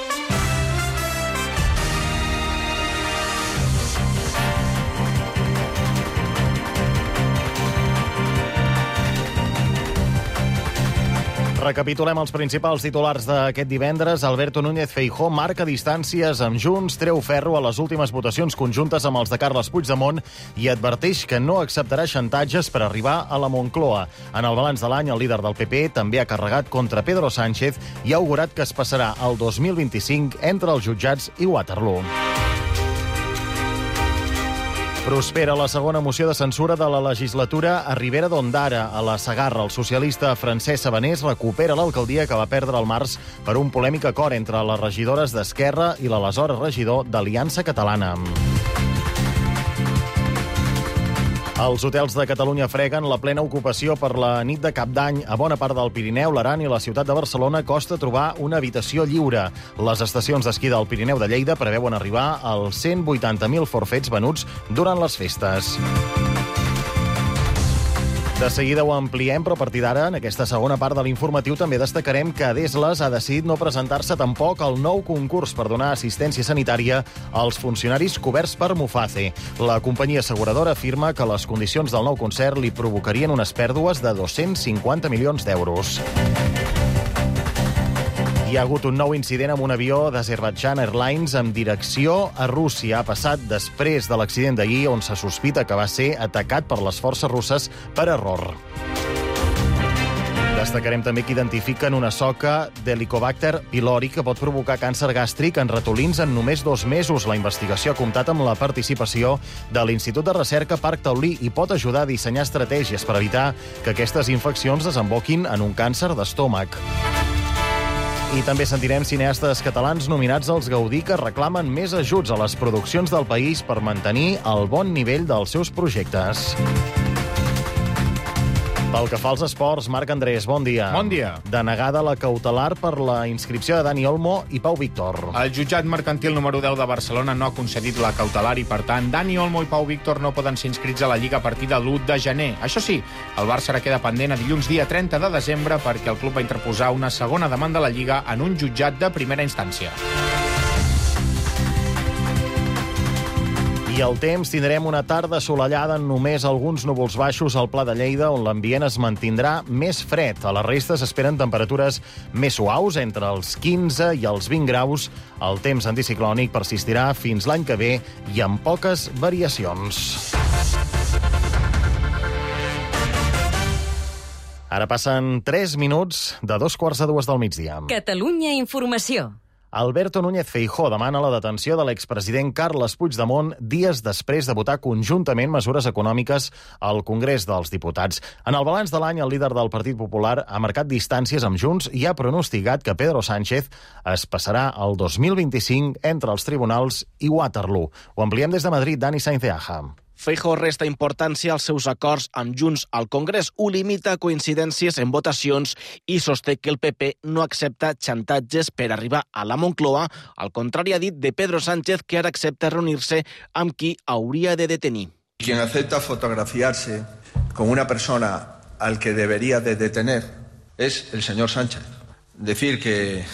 Recapitulem els principals titulars d'aquest divendres. Alberto Núñez Feijóo marca distàncies amb Junts, treu ferro a les últimes votacions conjuntes amb els de Carles Puigdemont i adverteix que no acceptarà xantatges per arribar a la Moncloa. En el balanç de l'any, el líder del PP també ha carregat contra Pedro Sánchez i ha augurat que es passarà el 2025 entre els jutjats i Waterloo. Prospera la segona moció de censura de la legislatura a Ribera d'Ondara. A la Segarra, el socialista Francesc Sabanés recupera l'alcaldia que va perdre al març per un polèmic acord entre les regidores d'Esquerra i l'aleshores regidor d'Aliança Catalana. Els hotels de Catalunya freguen la plena ocupació per la nit de Cap d'Any. A bona part del Pirineu, l'Aran i la ciutat de Barcelona costa trobar una habitació lliure. Les estacions d'esquí del Pirineu de Lleida preveuen arribar als 180.000 forfets venuts durant les festes. De seguida ho ampliem, però a partir d'ara, en aquesta segona part de l'informatiu, també destacarem que Desles ha decidit no presentar-se tampoc al nou concurs per donar assistència sanitària als funcionaris coberts per Muface. La companyia asseguradora afirma que les condicions del nou concert li provocarien unes pèrdues de 250 milions d'euros. Hi ha hagut un nou incident amb un avió d'Azerbaijan Airlines amb direcció a Rússia. Ha passat després de l'accident d'ahir, on se sospita que va ser atacat per les forces russes per error. Destacarem també que identifiquen una soca d'Helicobacter pylori que pot provocar càncer gàstric en ratolins en només 2 mesos. La investigació ha comptat amb la participació de l'Institut de Recerca Parc Taulí i pot ajudar a dissenyar estratègies per evitar que aquestes infeccions desemboquin en un càncer d'estómac. I també sentirem cineastes catalans nominats als Gaudí que reclamen més ajuts a les produccions del país per mantenir el bon nivell dels seus projectes. Pel que fa als esports, Marc Andrés, bon dia. Bon dia. Denegada la cautelar per la inscripció de Dani Olmo i Pau Víctor. El jutjat mercantil número 10 de Barcelona no ha concedit la cautelar i, per tant, Dani Olmo i Pau Víctor no poden ser inscrits a la Lliga a partir de l'1 de gener. Això sí, el Barça ara queda pendent a dilluns dia 30 de desembre perquè el club va interposar una segona demanda a la Lliga en un jutjat de primera instància. I al temps tindrem una tarda assolellada amb només alguns núvols baixos al Pla de Lleida, on l'ambient es mantindrà més fred. A la resta s'esperen temperatures més suaus, entre els 15 i els 20 graus. El temps anticiclònic persistirà fins l'any que ve i amb poques variacions. Ara passen 3 minuts de 2:45 del migdia. Catalunya Informació. Alberto Núñez Feijóo demana la detenció de l'expresident Carles Puigdemont dies després de votar conjuntament mesures econòmiques al Congrés dels Diputats. En el balanç de l'any, el líder del Partit Popular ha marcat distàncies amb Junts i ha pronosticat que Pedro Sánchez es passarà el 2025 entre els tribunals i Waterloo. Ho ampliem des de Madrid, Dani Sainz de Aja. Feijóo resta importància als seus acords amb Junts al Congrés, ho limita a coincidències en votacions i sosté que el PP no accepta xantatges per arribar a la Moncloa, al contrari, ha dit de Pedro Sánchez, que ara accepta reunir-se amb qui hauria de detenir. Quien acepta fotografiarse con una persona al que debería de detener es el señor Sánchez. Decir que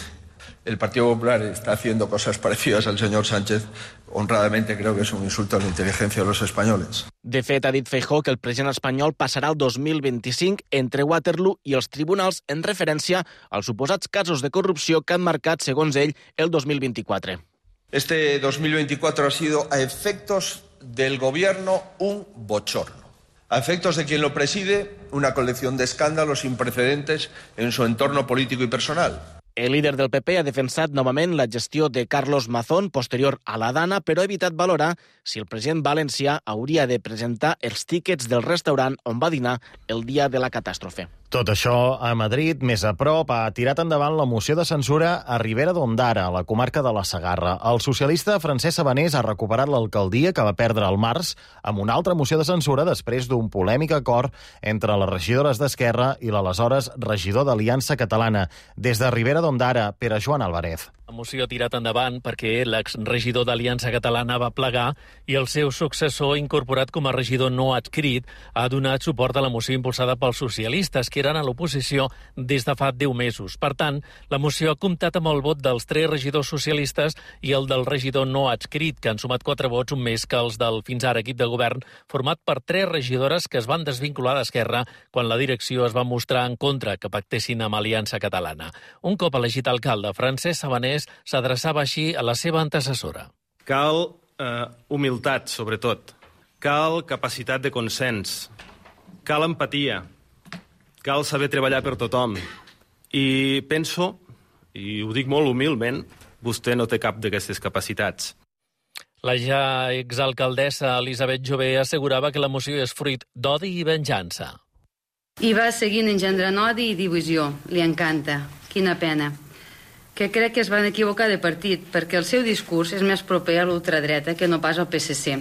el Partido Popular está haciendo cosas parecidas al señor Sánchez, honradamente creo que es un insulto a la inteligencia de los españoles. De fet, ha dit Feijóo que el president espanyol passarà el 2025 entre Waterloo i els tribunals en referència als suposats casos de corrupció que han marcat, segons ell, el 2024. Este 2024 ha sido, a efectos del gobierno, un bochorno. A efectos de quien lo preside, una colección de escándalos sin precedentes en su entorno político y personal. El líder del PP ha defensat novament la gestió de Carlos Mazón posterior a la Dana, però ha evitat valorar si el president valencià hauria de presentar els tíquets del restaurant on va dinar el dia de la catàstrofe. Tot això a Madrid, més a prop, ha tirat endavant la moció de censura a Ribera d'Ondara, a la comarca de la Segarra. El socialista Francesc Sabanés ha recuperat l'alcaldia que va perdre al març amb una altra moció de censura després d'un polèmic acord entre les regidores d'Esquerra i l'aleshores regidor d'Aliança Catalana. Des de Ribera d'Ondara, Pere Joan Álvarez. La moció ha tirat endavant perquè l'exregidor d'Aliança Catalana va plegar i el seu successor, incorporat com a regidor no adscrit, ha donat suport a la moció impulsada pels socialistes, que eren a l'oposició des de fa 10 mesos. Per tant, la moció ha comptat amb el vot dels 3 regidors socialistes i el del regidor no adscrit, que han sumat 4 vots, un més que els del fins ara equip de govern, format per 3 regidores que es van desvincular d'Esquerra quan la direcció es va mostrar en contra que pactessin amb Aliança Catalana. Un cop elegit alcalde, Francesc Sabanés s'adreçava així a la seva antecessora. Cal humilitat, sobretot. Cal capacitat de consens. Cal empatia. Cal saber treballar per tothom. I penso, i ho dic molt humilment, vostè no té cap d'aquestes capacitats. La ja exalcaldessa Elisabet Jové assegurava que la moció és fruit d'odi i venjança. I va seguint engendrant odi i divisió. Li encanta. Quina pena. Que crec que es van equivocar de partit, perquè el seu discurs és més proper a l'ultradreta que no pas al PSC.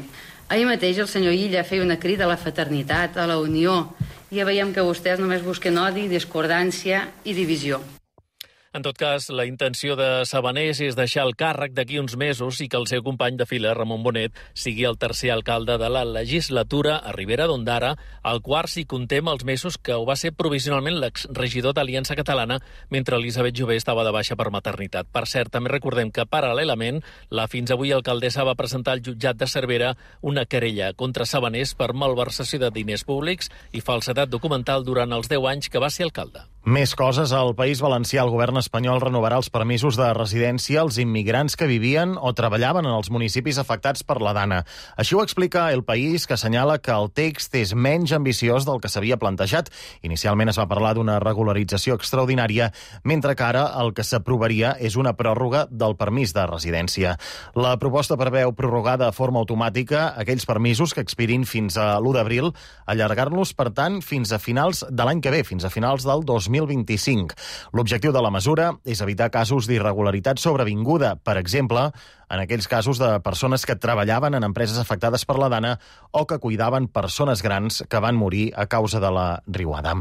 Ahir mateix el senyor Illa feia una crida a la fraternitat, a la unió, i ja veiem que vostès només busquen odi, discordància i divisió. En tot cas, la intenció de Sabanés és deixar el càrrec d'aquí uns mesos i que el seu company de fila, Ramon Bonet, sigui el tercer alcalde de la legislatura a Ribera d'Ondara, el quart si comptem els mesos que ho va ser provisionalment l'exregidor d'Aliança Catalana mentre Elisabet Jové estava de baixa per maternitat. Per cert, també recordem que paral·lelament la fins avui alcaldessa va presentar al jutjat de Cervera una querella contra Sabanés per malversació de diners públics i falsedat documental durant els 10 anys que va ser alcalde. Més coses. Al País Valencià, el govern espanyol renovarà els permisos de residència als immigrants que vivien o treballaven en els municipis afectats per la Dana. Així ho explica El País, que assenyala que el text és menys ambiciós del que s'havia plantejat. Inicialment es va parlar d'una regularització extraordinària, mentre que ara el que s'aprovaria és una pròrroga del permís de residència. La proposta preveu prorrogar de forma automàtica aquells permisos que expirin fins a l'1 d'abril, allargar-los, per tant, fins a finals de l'any que ve, fins a finals del 2025. L'objectiu de la mesura és evitar casos d'irregularitat sobrevinguda, per exemple, en aquells casos de persones que treballaven en empreses afectades per la Dana o que cuidaven persones grans que van morir a causa de la riuada.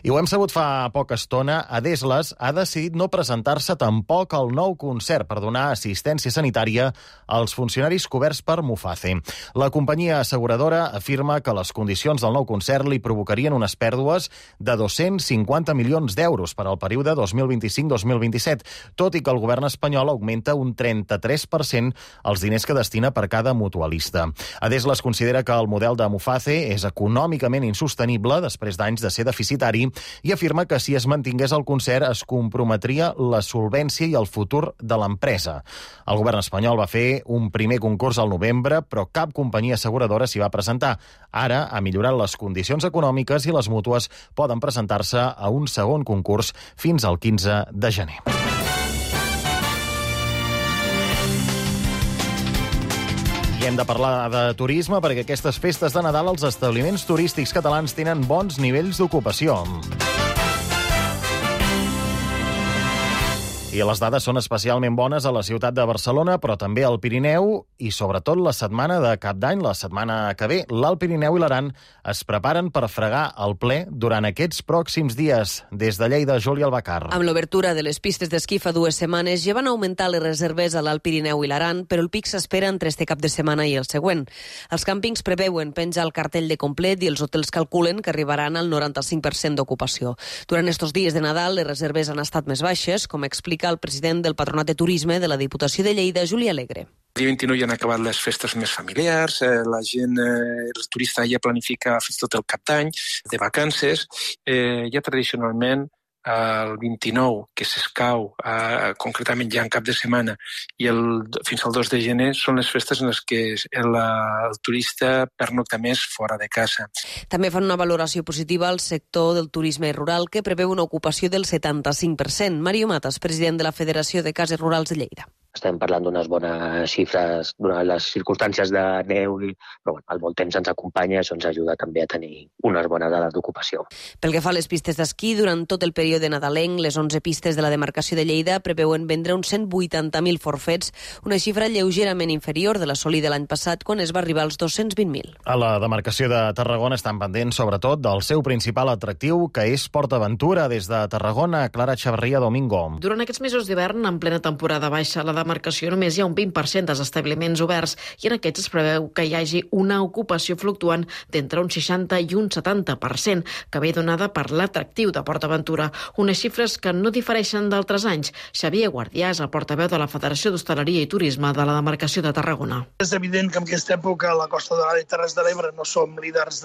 I ho hem sabut fa poca estona, Adeslas ha decidit no presentar-se tampoc al nou concert per donar assistència sanitària als funcionaris coberts per Muface. La companyia asseguradora afirma que les condicions del nou concert li provocarien unes pèrdues de 250 milions d'euros per al període 2025-2027, tot i que el govern espanyol augmenta un 33% els diners que destina per cada mutualista. Adeslas considera que el model de Muface és econòmicament insostenible després d'anys de ser deficitari i afirma que si es mantingués el concert es comprometria la solvència i el futur de l'empresa. El govern espanyol va fer un primer concurs al novembre, però cap companyia asseguradora s'hi va presentar. Ara ha millorat les condicions econòmiques i les mútues poden presentar-se a un segon concurs fins al 15 de gener. I hem de parlar de turisme perquè aquestes festes de Nadal els establiments turístics catalans tenen bons nivells d'ocupació. I les dades són especialment bones a la ciutat de Barcelona, però també al Pirineu i sobretot la setmana de Cap d'Any, la setmana que ve. L'Alt Pirineu i l'Aran es preparen per fregar el ple durant aquests pròxims dies. Des de Lleida, Júlia Albacar. Amb l'obertura de les pistes d'esquí fa 2 setmanes ja van augmentar les reserves a l'Alt Pirineu i l'Aran, però el pic s'espera entre este cap de setmana i el següent. Els càmpings preveuen penjar el cartell de complet i els hotels calculen que arribaran al 95% d'ocupació. Durant estos dies de Nadal les reserves han estat més baixes, com explica el president del Patronat de Turisme de la Diputació de Lleida, Juli Alegre. El dia 29 ja han acabat les festes més familiars, la gent, el turista ja planifica fins tot el cap d'any, de vacances. Ja tradicionalment el 29, que s'escau concretament ja en cap de setmana, i fins al 2 de gener són les festes en les que el turista pernocta més fora de casa. També fan una valoració positiva al sector del turisme rural, que preveu una ocupació del 75%. Mario Matas, president de la Federació de Cases Rurals de Lleida. estem parlant d'unes bones xifres, donant les circumstàncies de neu, però bueno, el bon temps ens acompanya i això ens ajuda també a tenir unes bones dades d'ocupació. Pel que fa a les pistes d'esquí, durant tot el període nadalenc, les 11 pistes de la demarcació de Lleida preveuen vendre uns 180.000 forfets, una xifra lleugerament inferior de l'assolida l'any passat, quan es va arribar als 220.000. A la demarcació de Tarragona estan pendents, sobretot, del seu principal atractiu, que és PortAventura. Des de Tarragona, Clara Xavarria, Domingo. Durant aquests mesos d'hivern, en plena temporada baixa, a la demarcació només hi ha un 20% dels establiments oberts i en aquests es preveu que hi hagi una ocupació fluctuant d'entre un 60 i un 70%, que ve donada per l'atractiu de PortAventura, unes xifres que no difereixen d'altres anys. Xavier Guardià és el portaveu de la Federació d'Hostaleria i Turisme de la demarcació de Tarragona. És evident que en aquesta època a la Costa Daurada i Terres de l'Ebre no som líders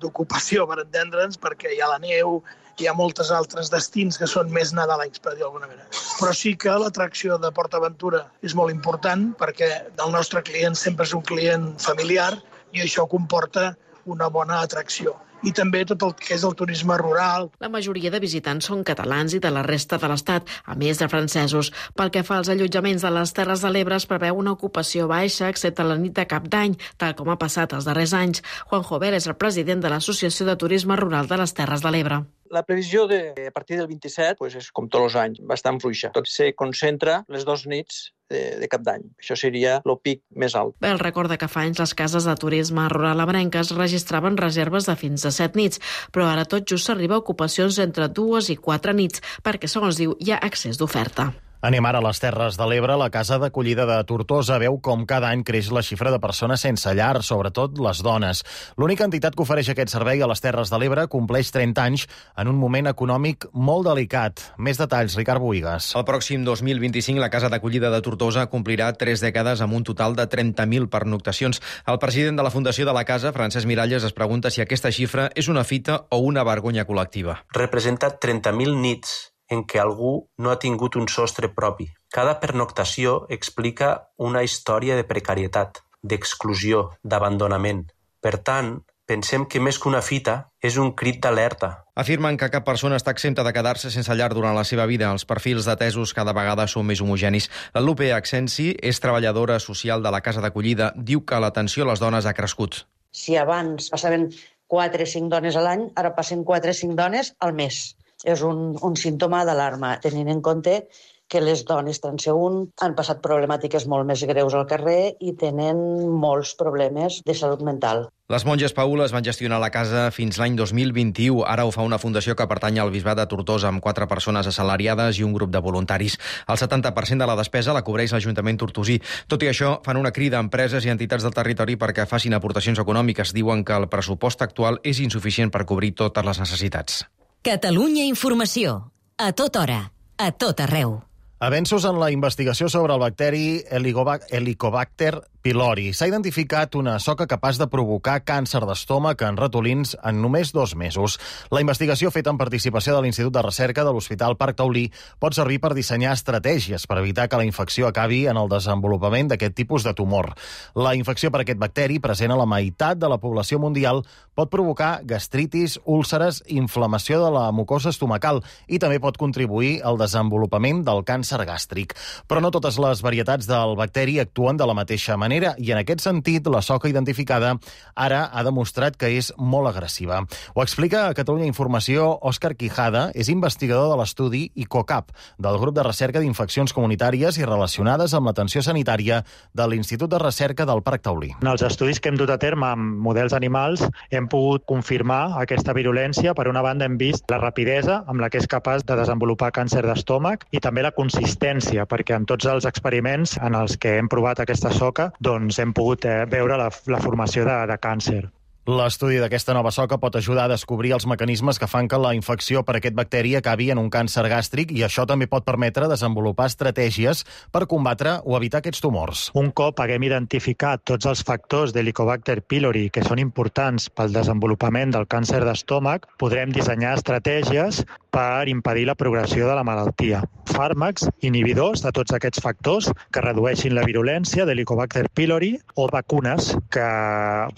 d'ocupació, per entendre'ns, perquè hi ha la neu, hi ha moltes altres destins que són més nadalencs, per dir d'alguna manera. Però sí que l'atracció de PortAventura és molt important perquè el nostre client sempre és un client familiar i això comporta una bona atracció. I també tot el que és el turisme rural. La majoria de visitants són catalans i de la resta de l'Estat, a més de francesos. Pel que fa als allotjaments de les Terres de l'Ebre, es preveu una ocupació baixa, excepte la nit de Cap d'Any, tal com ha passat els darrers anys. Juan Jover és el president de l'Associació de Turisme Rural de les Terres de l'Ebre. La previsió a partir del 27 és com tots els anys, bastant fluixa. Tot se concentra les 2 nits de Cap d'Any. Això seria el pic més alt. El recorda que fa anys les cases de turisme rural abrenques registraven reserves de fins a 7 nits, però ara tot just s'arriba a ocupacions entre 2 i 4 nits, perquè, segons diu, hi ha excés d'oferta. Anem ara a les Terres de l'Ebre. La casa d'acollida de Tortosa veu com cada any creix la xifra de persones sense llar, sobretot les dones. L'única entitat que ofereix aquest servei a les Terres de l'Ebre compleix 30 anys en un moment econòmic molt delicat. Més detalls, Ricard Bohigas. El pròxim 2025 la casa d'acollida de Tortosa complirà 3 dècades amb un total de 30.000 pernoctacions. El president de la Fundació de la Casa, Francesc Miralles, es pregunta si aquesta xifra és una fita o una vergonya col·lectiva. Representa 30.000 nits en què algú no ha tingut un sostre propi. Cada pernoctació explica una història de precarietat, d'exclusió, d'abandonament. Per tant, pensem que més que una fita és un crit d'alerta. Afirmen que cap persona està exempta de quedar-se sense llar durant la seva vida. Els perfils d'atesos cada vegada són més homogenis. La Lupe Accensi és treballadora social de la casa d'acollida. Diu que l'atenció a les dones ha crescut. Si abans passaven 4 o 5 dones a l'any, ara passen 4 o 5 dones al mes. És un símptoma d'alarma, tenint en compte que les dones transeünt han passat problemàtiques molt més greus al carrer i tenen molts problemes de salut mental. Les monges paules van gestionar la casa fins l'any 2021. Ara ho fa una fundació que pertany al Bisbat de Tortosa, amb 4 persones assalariades i un grup de voluntaris. El 70% de la despesa la cobreix l'Ajuntament tortosí. Tot i això, fan una crida a empreses i entitats del territori perquè facin aportacions econòmiques. Diuen que el pressupost actual és insuficient per cobrir totes les necessitats. Catalunya Informació. A tota hora. A tot arreu. Avenços en la investigació sobre el bacteri Helicobacter pylori. S'ha identificat una soca capaç de provocar càncer d'estómac en ratolins en només 2 mesos. La investigació feta en participació de l'Institut de Recerca de l'Hospital Parc Taulí pot servir per dissenyar estratègies per evitar que la infecció acabi en el desenvolupament d'aquest tipus de tumor. La infecció per aquest bacteri, present a la meitat de la població mundial, pot provocar gastritis, úlceres, inflamació de la mucosa estomacal i també pot contribuir al desenvolupament del càncer gàstric. Però no totes les varietats del bacteri actuen de la mateixa manera i en aquest sentit la soca identificada ara ha demostrat que és molt agressiva. Ho explica a Catalunya Informació Òscar Quijada, és investigador de l'estudi ICOCAP, del grup de recerca d'infeccions comunitàries i relacionades amb l'atenció sanitària de l'Institut de Recerca del Parc Taulí. En els estudis que hem dut a terme amb models animals hem pogut confirmar aquesta virulència. Per una banda hem vist la rapidesa amb la que és capaç de desenvolupar càncer d'estómac i també la consistència, perquè en tots els experiments en els que hem provat aquesta soca doncs hem pogut veure la formació de càncer. L'estudi d'aquesta nova soca pot ajudar a descobrir els mecanismes que fan que la infecció per aquest bacteri acabi en un càncer gàstric i això també pot permetre desenvolupar estratègies per combatre o evitar aquests tumors. Un cop haguem identificat tots els factors d'Helicobacter pylori que són importants pel desenvolupament del càncer d'estómac, podrem dissenyar estratègies per impedir la progressió de la malaltia. Fàrmacs inhibidors de tots aquests factors que redueixin la virulència d'Helicobacter pylori o vacunes que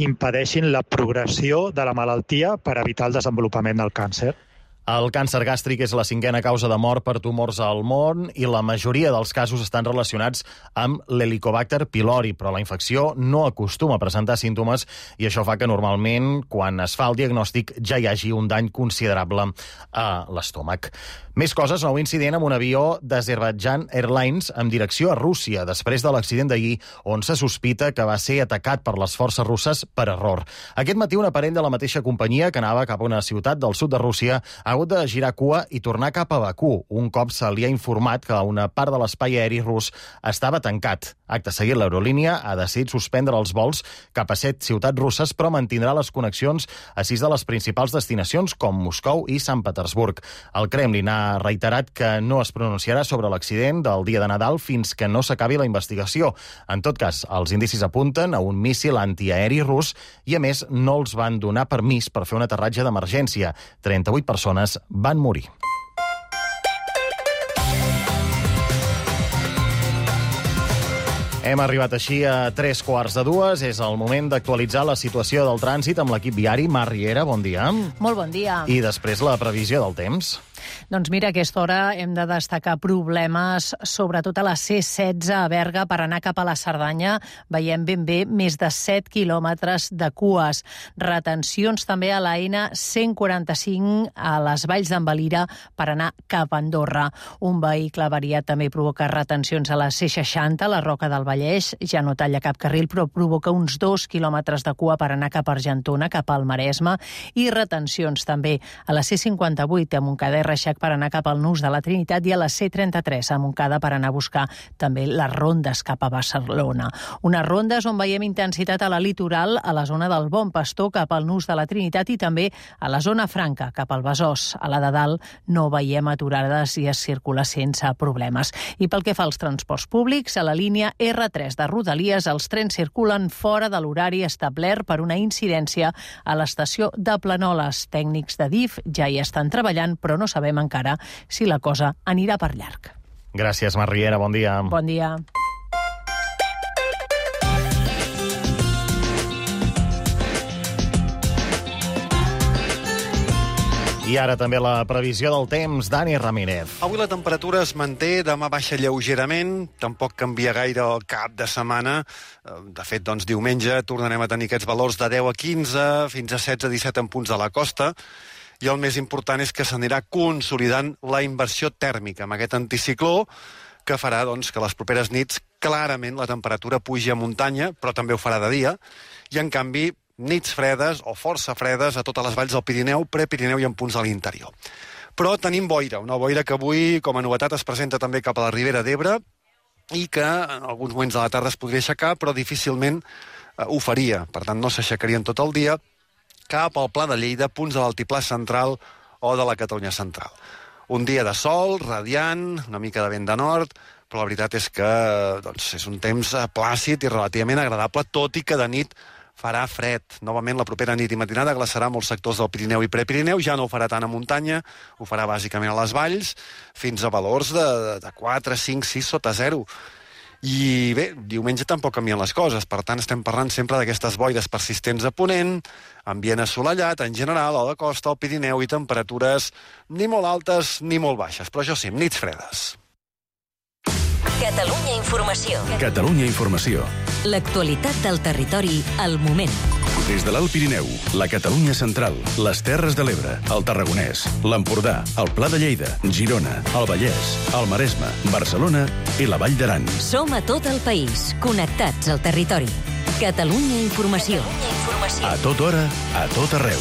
impedeixin la progressió de la malaltia per evitar el desenvolupament del càncer. El càncer gàstric és la 5a causa de mort per tumors al món i la majoria dels casos estan relacionats amb l'Helicobacter pylori, però la infecció no acostuma a presentar símptomes i això fa que normalment, quan es fa el diagnòstic, ja hi hagi un dany considerable a l'estómac. Més coses, nou incident amb un avió d'Azerbaijan Airlines en direcció a Rússia, després de l'accident d'ahir, on se sospita que va ser atacat per les forces russes per error. Aquest matí, un aparell de la mateixa companyia que anava cap a una ciutat del sud de Rússia ha hagut de girar cua i tornar cap a Bakú, un cop se li ha informat que una part de l'espai aeri rus estava tancat. Acte seguit, l'aerolínia ha decidit suspendre els vols cap a 7 ciutats russes, però mantindrà les connexions a 6 de les principals destinacions, com Moscou i Sant Petersburg. El Kremlin ha reiterat que no es pronunciarà sobre l'accident del dia de Nadal fins que no s'acabi la investigació. En tot cas, els indicis apunten a un míssil antiaeri rus i, a més, no els van donar permís per fer un aterratge d'emergència. 38 persones van morir. Hem arribat així a 2:45. És el moment d'actualitzar la situació del trànsit amb l'equip viari. Mar Riera, bon dia. Molt bon dia. I després la previsió del temps. Doncs mira, a aquesta hora hem de destacar problemes, sobretot a la C16 a Berga, per anar cap a la Cerdanya. Veiem ben bé més de 7 quilòmetres de cues. Retencions també a la N145 a les Valls d'en Valira per anar cap a Andorra. Un vehicle avariat també provoca retencions a la C60, a la Roca del Vallès. Ja no talla cap carril, però provoca uns 2 quilòmetres de cua per anar cap a Argentona, cap al Maresme. I retencions també a la C58 a Montcada i Reixac per anar cap al Nus de la Trinitat i a la C33 a Montcada per anar a buscar també les rondes cap a Barcelona. Unes rondes on veiem intensitat a la litoral, a la zona del Bon Pastor cap al Nus de la Trinitat i també a la zona franca cap al Besòs. A la de dalt no veiem aturades i es circula sense problemes. I pel que fa als transports públics, a la línia R3 de Rodalies els trens circulen fora de l'horari establert per una incidència a l'estació de Planoles. Tècnics de DIF ja hi estan treballant, però no sabem encara si la cosa anirà per llarg. Gràcies, Mar Riera. Bon dia. Bon dia. I ara també la previsió del temps, Dani Ramírez. Avui la temperatura es manté, demà baixa lleugerament, tampoc canvia gaire el cap de setmana. De fet, doncs, diumenge tornarem a tenir aquests valors de 10 a 15, fins a 16 a 17 en punts de la costa. I el més important és que s'anirà consolidant la inversió tèrmica amb aquest anticicló que farà doncs, que les properes nits clarament la temperatura pugi a muntanya, però també ho farà de dia, i en canvi nits fredes o força fredes a totes les valls del Pirineu, Prepirineu i en punts de l'interior. Però tenim boira, una boira que avui com a novetat es presenta també cap a la Ribera d'Ebre i que en alguns moments de la tarda es podria aixecar, però difícilment ho faria. Per tant, no s'aixecarien tot el dia cap al Pla de Lleida, punts de l'Altiplà Central o de la Catalunya Central. Un dia de sol, radiant, una mica de vent de nord, però la veritat és que doncs, és un temps plàcid i relativament agradable, tot i que de nit farà fred. Novament, la propera nit i matinada glaçarà molts sectors del Pirineu i Prepirineu, ja no ho farà tant a muntanya, ho farà bàsicament a les valls, fins a valors de 4, 5, 6 sota 0. I bé, diumenge tampoc canvien les coses, per tant estem parlant sempre d'aquestes boires persistents a ponent, ambient assolellat en general, a la costa, al Pirineu, i temperatures ni molt altes ni molt baixes, però això sí, nits fredes. Catalunya Informació. Catalunya Informació. L'actualitat del territori al moment. Des de l'Alt Pirineu, la Catalunya Central, les Terres de l'Ebre, el Tarragonès, l'Empordà, el Pla de Lleida, Girona, el Vallès, el Maresme, Barcelona i la Vall d'Aran. Som a tot el país, connectats al territori. Catalunya Informació. A tota hora, a tot arreu.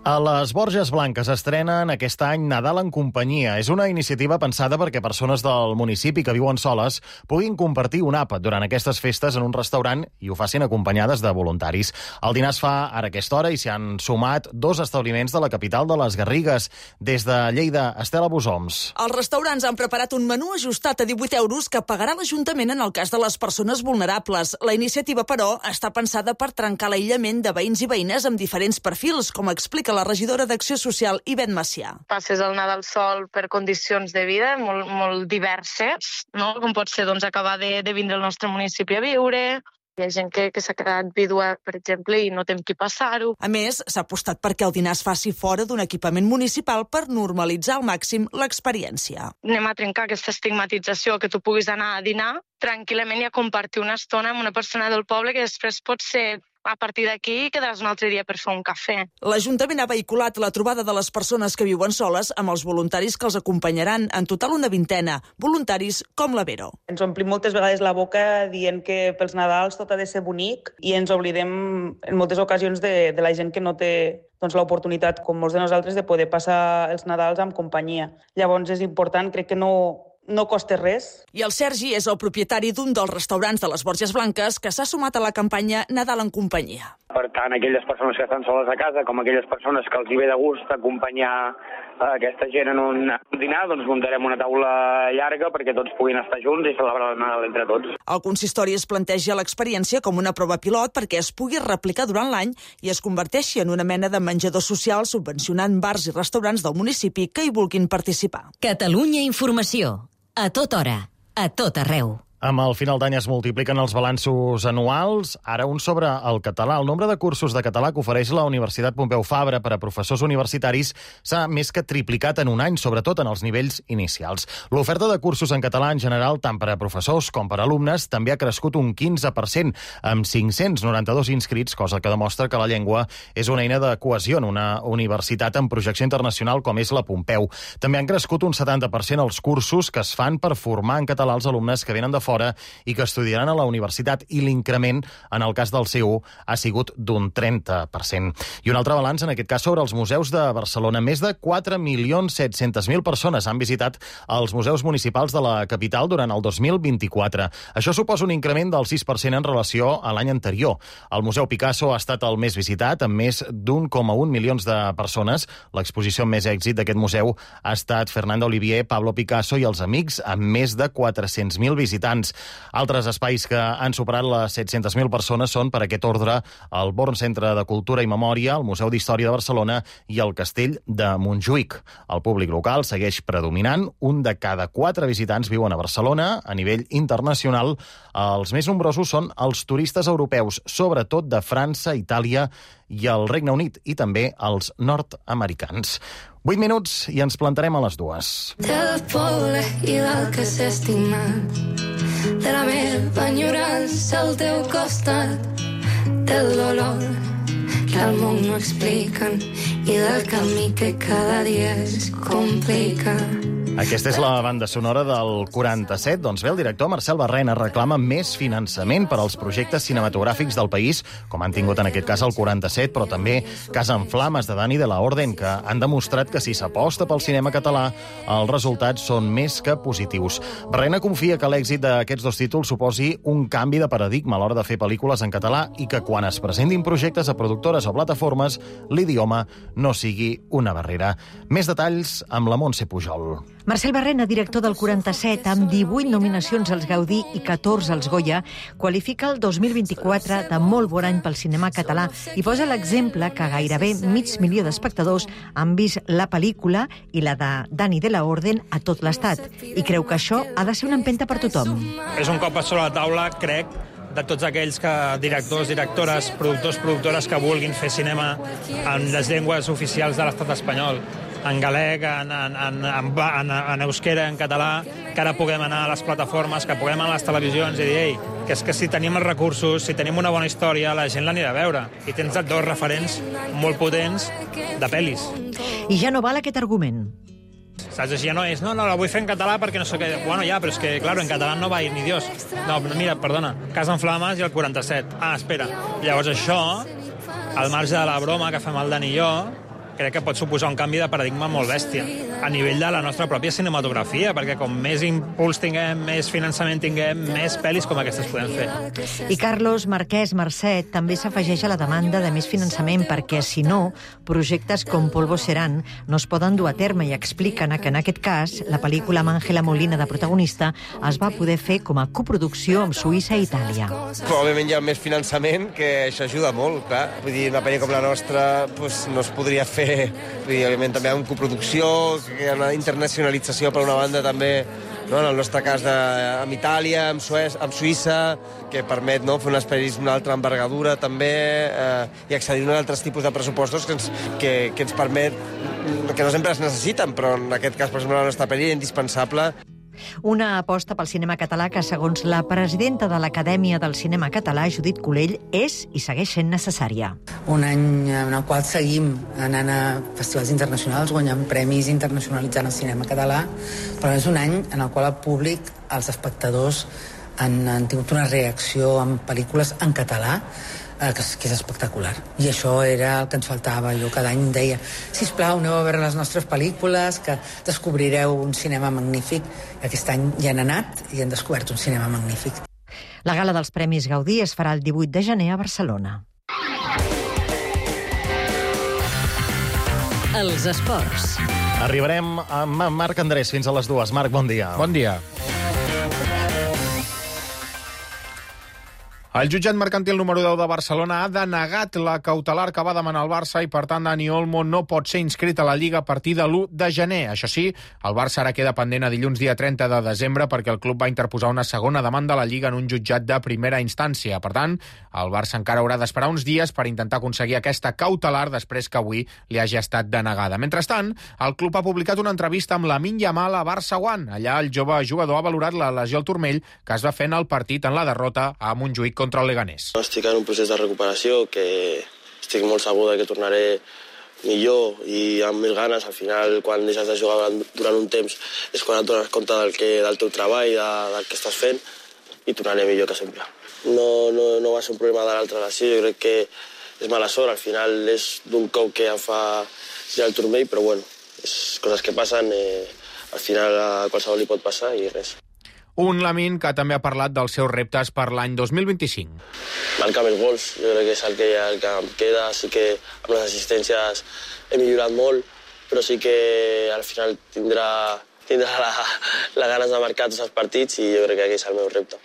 A les Borges Blanques estrenen aquest any Nadal en companyia. És una iniciativa pensada perquè persones del municipi que viuen soles puguin compartir un àpat durant aquestes festes en un restaurant i ho facin acompanyades de voluntaris. El dinar es fa ara a aquesta hora i s'hi han sumat 2 establiments de la capital de les Garrigues. Des de Lleida, Estela Bosoms. Els restaurants han preparat un menú ajustat a 18 euros que pagarà l'Ajuntament en el cas de les persones vulnerables. La iniciativa, però, està pensada per trencar l'aïllament de veïns i veïnes amb diferents perfils, com explica la regidora d'Acció Social, Ivet Macià. Passes el Nadal sol per condicions de vida molt diverses, no? Com pot ser acabar de vindre al nostre municipi a viure, Hi ha gent que s'ha quedat vídua, per exemple, i no té amb qui passar-ho. A més, s'ha apostat perquè el dinar es faci fora d'un equipament municipal per normalitzar al màxim l'experiència. Anem a trencar aquesta estigmatització, que tu puguis anar a dinar tranquil·lament i a compartir una estona amb una persona del poble que després pot ser a partir d'aquí quedaràs un altre dia per fer un cafè. L'Ajuntament ha vehiculat la trobada de les persones que viuen soles amb els voluntaris que els acompanyaran, en total una 20, voluntaris com la Vero. Ens omplim moltes vegades la boca dient que pels Nadals tot ha de ser bonic i ens oblidem en moltes ocasions de la gent que no té l'oportunitat, com molts de nosaltres, de poder passar els Nadals amb companyia. Llavors és important, crec que no costa res. I el Sergi és el propietari d'un dels restaurants de les Borges Blanques que s'ha sumat a la campanya Nadal en companyia. Per tant, aquelles persones que estan soles a casa, com aquelles persones que els hi ve de gust acompanyar aquesta gent en un dinar, doncs muntarem una taula llarga perquè tots puguin estar junts i celebrar el Nadal entre tots. El consistori es planteja l'experiència com una prova pilot perquè es pugui replicar durant l'any i es converteixi en una mena de menjador social subvencionant bars i restaurants del municipi que hi vulguin participar. Catalunya Informació. A tota hora, a tot arreu. Amb el final d'any es multipliquen els balanços anuals. Ara un sobre el català. El nombre de cursos de català que ofereix la Universitat Pompeu Fabra per a professors universitaris s'ha més que triplicat en un any, sobretot en els nivells inicials. L'oferta de cursos en català en general, tant per a professors com per a alumnes, també ha crescut un 15%, amb 592 inscrits, cosa que demostra que la llengua és una eina de cohesió en una universitat amb projecció internacional com és la Pompeu. També han crescut un 70% els cursos que es fan per formar en català els alumnes que venen de fora i que estudiaran a la universitat, i l'increment, en el cas del CU, ha sigut d'un 30%. I un altre balanç, en aquest cas, sobre els museus de Barcelona. Més de 4.700.000 persones han visitat els museus municipals de la capital durant el 2024. Això suposa un increment del 6% en relació a l'any anterior. El Museu Picasso ha estat el més visitat, amb més d'1,1 milions de persones. L'exposició amb més èxit d'aquest museu ha estat Fernando Olivier, Pablo Picasso i els amics, amb més de 400.000 visitants. Altres espais que han superat les 700.000 persones són, per aquest ordre, el Born Centre de Cultura i Memòria, el Museu d'Història de Barcelona i el Castell de Montjuïc. El públic local segueix predominant. Un de cada 4 visitants viuen a Barcelona. A nivell internacional, els més nombrosos són els turistes europeus, sobretot de França, Itàlia i el Regne Unit, i també els nord-americans. 8 minuts i ens plantarem a les 2. Del poble i del que s'ha estimat, de la meva enyorança al teu costat, del dolor que al món no expliquen i del camí que cada dia es complica. Aquesta és la banda sonora del 47. Doncs bé, el director Marcel Barrena reclama més finançament per als projectes cinematogràfics del país, com han tingut en aquest cas el 47, però també Casa en Flames, de Dani de la Orden, que han demostrat que si s'aposta pel cinema català, els resultats són més que positius. Barrena confia que l'èxit d'aquests dos títols suposi un canvi de paradigma a l'hora de fer pel·lícules en català i que quan es presentin projectes a productores o plataformes, l'idioma no sigui una barrera. Més detalls amb la Montse Pujol. Marcel Barrena, director del 47, amb 18 nominacions als Gaudí i 14 als Goya, qualifica el 2024 de molt bon any pel cinema català i posa l'exemple que gairebé 500.000 d'espectadors han vist la pel·lícula i la de Dani de la Orden a tot l'estat, i creu que això ha de ser una empenta per tothom. És un cop sobre la taula, crec, de tots aquells directors, directores, productors, productores que vulguin fer cinema en les llengües oficials de l'estat espanyol, en galec, en euskera, en català, que ara puguem anar a les plataformes, que puguem anar a les televisions i dir, ei, que és que si tenim els recursos, si tenim una bona història, la gent l'anirà a veure. I tens dos referents molt potents de pel·lis. I ja no val aquest argument. Saps? Així ja no és, no, la vull fer en català perquè no sé què... Bueno, ja, però és que, claro, en català no va ir ni Dios. No, mira, perdona, Casa en Flames i el 47. Ah, espera. Llavors això, al marge de la broma que fem el Dani i jo, crec que pot suposar un canvi de paradigma molt bèstia a nivell de la nostra pròpia cinematografia, perquè com més impuls tinguem, més finançament tinguem, més pel·lis com aquestes podem fer. I Carlos Marquès Mercè també s'afegeix a la demanda de més finançament perquè, si no, projectes com Polvo Serán no es poden dur a terme, i expliquen que en aquest cas la pel·lícula amb Ángela Molina de protagonista es va poder fer com a coproducció amb Suïssa i Itàlia. Òbviament hi ha més finançament, que això ajuda molt, clar. Vull dir, una pel·lícula com la nostra no es podria fer, òbviament també amb coproducció, que hi ha una internacionalització per una banda també, no? En el nostre cas amb Itàlia, amb Suïssa, que permet fer unes pel·lis d'una altra envergadura també i accedir a altres tipus de pressupostos que ens permet, que no sempre es necessiten, però en aquest cas, per exemple, la nostra pel·li és indispensable. Una aposta pel cinema català que, segons la presidenta de l'Acadèmia del Cinema Català, Judit Colell, és i segueix sent necessària. Un any en el qual seguim anant a festivals internacionals, guanyant premis, internacionalitzant el cinema català, però és un any en el qual el públic, els espectadors, han tingut una reacció amb pel·lícules en català que és espectacular. I això era el que ens faltava. Jo cada any deia, sisplau, aneu a veure les nostres pel·lícules, que descobrireu un cinema magnífic. I aquest any ja han anat i han descobert un cinema magnífic. La gala dels Premis Gaudí es farà el 18 de gener a Barcelona. Els esports. Arribarem amb Marc Andrés fins a les 2. Marc, bon dia. Bon dia. El jutjat mercantil número 10 de Barcelona ha denegat la cautelar que va demanar el Barça i, per tant, Dani Olmo no pot ser inscrit a la Lliga a partir de l'1 de gener. Això sí, el Barça ara queda pendent a dilluns dia 30 de desembre perquè el club va interposar una segona demanda a la Lliga en un jutjat de primera instància. Per tant, el Barça encara haurà d'esperar uns dies per intentar aconseguir aquesta cautelar després que avui li hagi estat denegada. Mentrestant, el club ha publicat una entrevista amb Lamine Yamal a Barça One. Allà el jove jugador ha valorat la lesió al turmell que es va fer en el partit en la derrota a Montjuïc contra el Leganés. Estic en un procés de recuperació que estic molt segur que tornaré millor i amb més ganes. Al final, quan deixes de jugar durant un temps és quan et dones compte del teu treball, del que estàs fent, i tornaré millor que sempre. No va ser un problema de l'altra lesió, jo crec que és mala sort. Al final és d'un cop que em fa girar el turmell, però bueno, és coses que passen, al final a qualsevol li pot passar i res. Un Lamine que també ha parlat dels seus reptes per l'any 2025. Marcar més gols, jo crec que és el que em queda. Sí que amb les assistències he millorat molt, però sí que al final tindrà la ganes de marcar tots els partits i jo crec que aquest és el meu repte.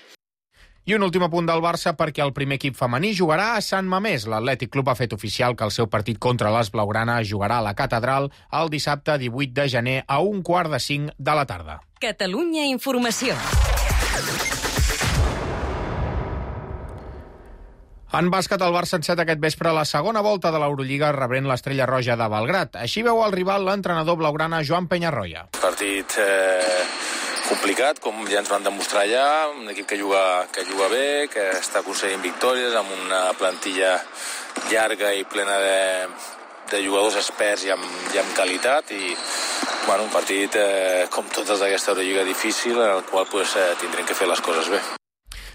I un últim apunt del Barça perquè el primer equip femení jugarà a Sant Mamés. L'Atlètic Club ha fet oficial que el seu partit contra les blaugranes jugarà a la Catedral el dissabte 18 de gener a 4:45 de la tarda. Catalunya Informació. En bàsquet, el Barça enceta aquest vespre la segona volta de l'Eurolliga rebent l'Estrella Roja de Belgrat. Així veu el rival l'entrenador blaugrana Joan Peñarroya. Partit complicat, com ja ens van demostrar allà, un equip que juga bé, que està aconseguint victòries amb una plantilla llarga i plena de jugadors experts i amb qualitat i un partit com totes d'aquesta Eurolliga difícil en el qual tindrem que fer les coses bé.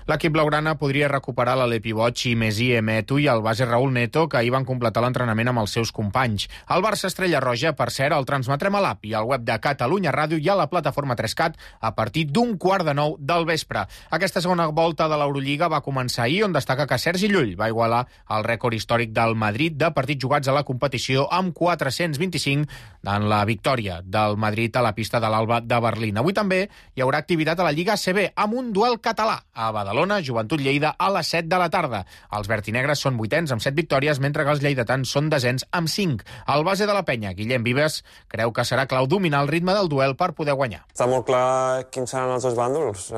L'equip blaugrana podria recuperar l'Alepi Boig i Messi Emetu i el base Raúl Neto, que ahir van completar l'entrenament amb els seus companys. El Barça Estrella Roja, per cert, el transmetrem a l'app i al web de Catalunya Ràdio i a la plataforma 3CAT a partir d'8:45 del vespre. Aquesta segona volta de l'Eurolliga va començar ahir, on destaca que Sergi Llull va igualar el rècord històric del Madrid de partits jugats a la competició amb 425 en la victòria del Madrid a la pista de l'Alba de Berlín. Avui també hi haurà activitat a la Lliga ACB amb un duel català a Badalona, Joventut Lleida a les 7 de la tarda. Els vertinegres són 8ens amb 7 victòries, mentre que els lleidatans són 10ens amb 5. El base de la penya, Guillem Vives, creu que serà clau dominar el ritme del duel per poder guanyar. Està molt clar quins seran els dos bàndols.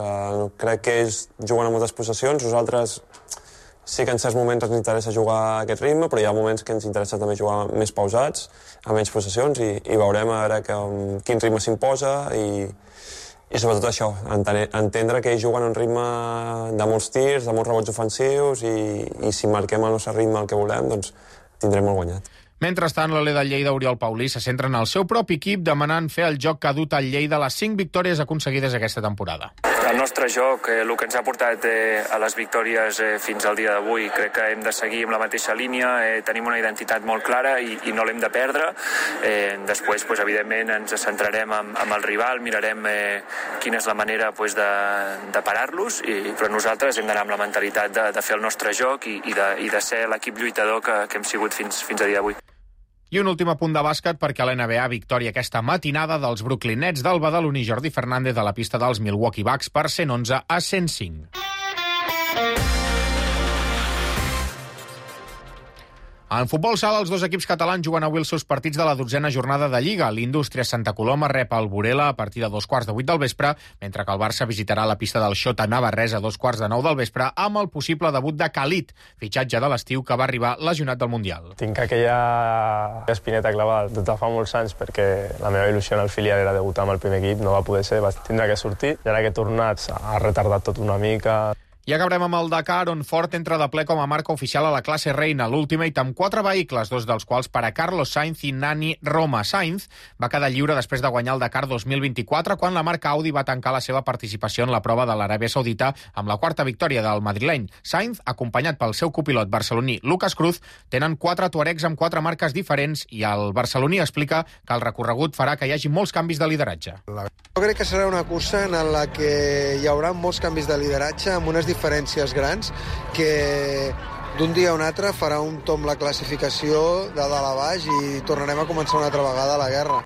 Crec que ells juguen a moltes possessions. Nosaltres sí que en certs moments ens interessa jugar a aquest ritme, però hi ha moments que ens interessa també jugar més pausats, a menys possessions, i veurem a veure quin ritme s'imposa i sobretot això, entendre que ells juguen a un ritme de molts tirs, de molts rebots ofensius i si marquem el nostre ritme el que volem, doncs tindrem molt guanyat. Mentrestant, l'Ole del Lleida, Oriol Paulí, se centra en el seu propi equip demanant fer el joc que ha dut al Lleida les 5 victòries aconseguides aquesta temporada. El nostre joc, el que ens ha portat a les victòries fins al dia d'avui, crec que hem de seguir amb la mateixa línia, tenim una identitat molt clara i no l'hem de perdre. Després, evidentment, ens centrarem amb el rival, mirarem quina és la manera de parar-los, però nosaltres hem d'anar amb la mentalitat de fer el nostre joc i de ser l'equip lluitador que hem sigut fins a dia d'avui. I un últim apunt de bàsquet perquè a l'NBA victòria aquesta matinada dels Brooklyn Nets del badaloní Jordi Fernández a la pista dels Milwaukee Bucks per 111 a 105. En futbol sala, els dos equips catalans juguen avui els seus partits de la 12a jornada de Lliga. L'Indústria Santa Coloma rep el Burela a partir de 2:15 del vespre, mentre que el Barça visitarà la pista del Xota Navarrès a 2:15 del vespre amb el possible debut de Khalid, fitxatge de l'estiu que va arribar lesionat del Mundial. Tinc aquella espineta clavada des de fa molts anys perquè la meva il·lusió en el filial era debutar amb el primer equip, no va poder ser, va tindre que sortir. I ara que he tornat ha retardat tot una mica. I acabarem amb el Dakar, on Ford entra de ple com a marca oficial a la classe reina, l'Ultimate, amb 4 vehicles, 2 dels quals per a Carlos Sainz i Nani Roma. Sainz va quedar lliure després de guanyar el Dakar 2024, quan la marca Audi va tancar la seva participació en la prova de l'Aràbia Saudita amb la 4ª victòria del madrileny. Sainz, acompanyat pel seu copilot barceloní Lucas Cruz, tenen 4 tuaregs amb 4 marques diferents i el barceloní explica que el recorregut farà que hi hagi molts canvis de lideratge. Jo crec que serà una cursa en la que hi haurà molts canvis de lideratge amb unes diferències grans que d'un dia a un altre farà un tomb la classificació de dalt a baix i tornarem a començar una altra vegada la guerra.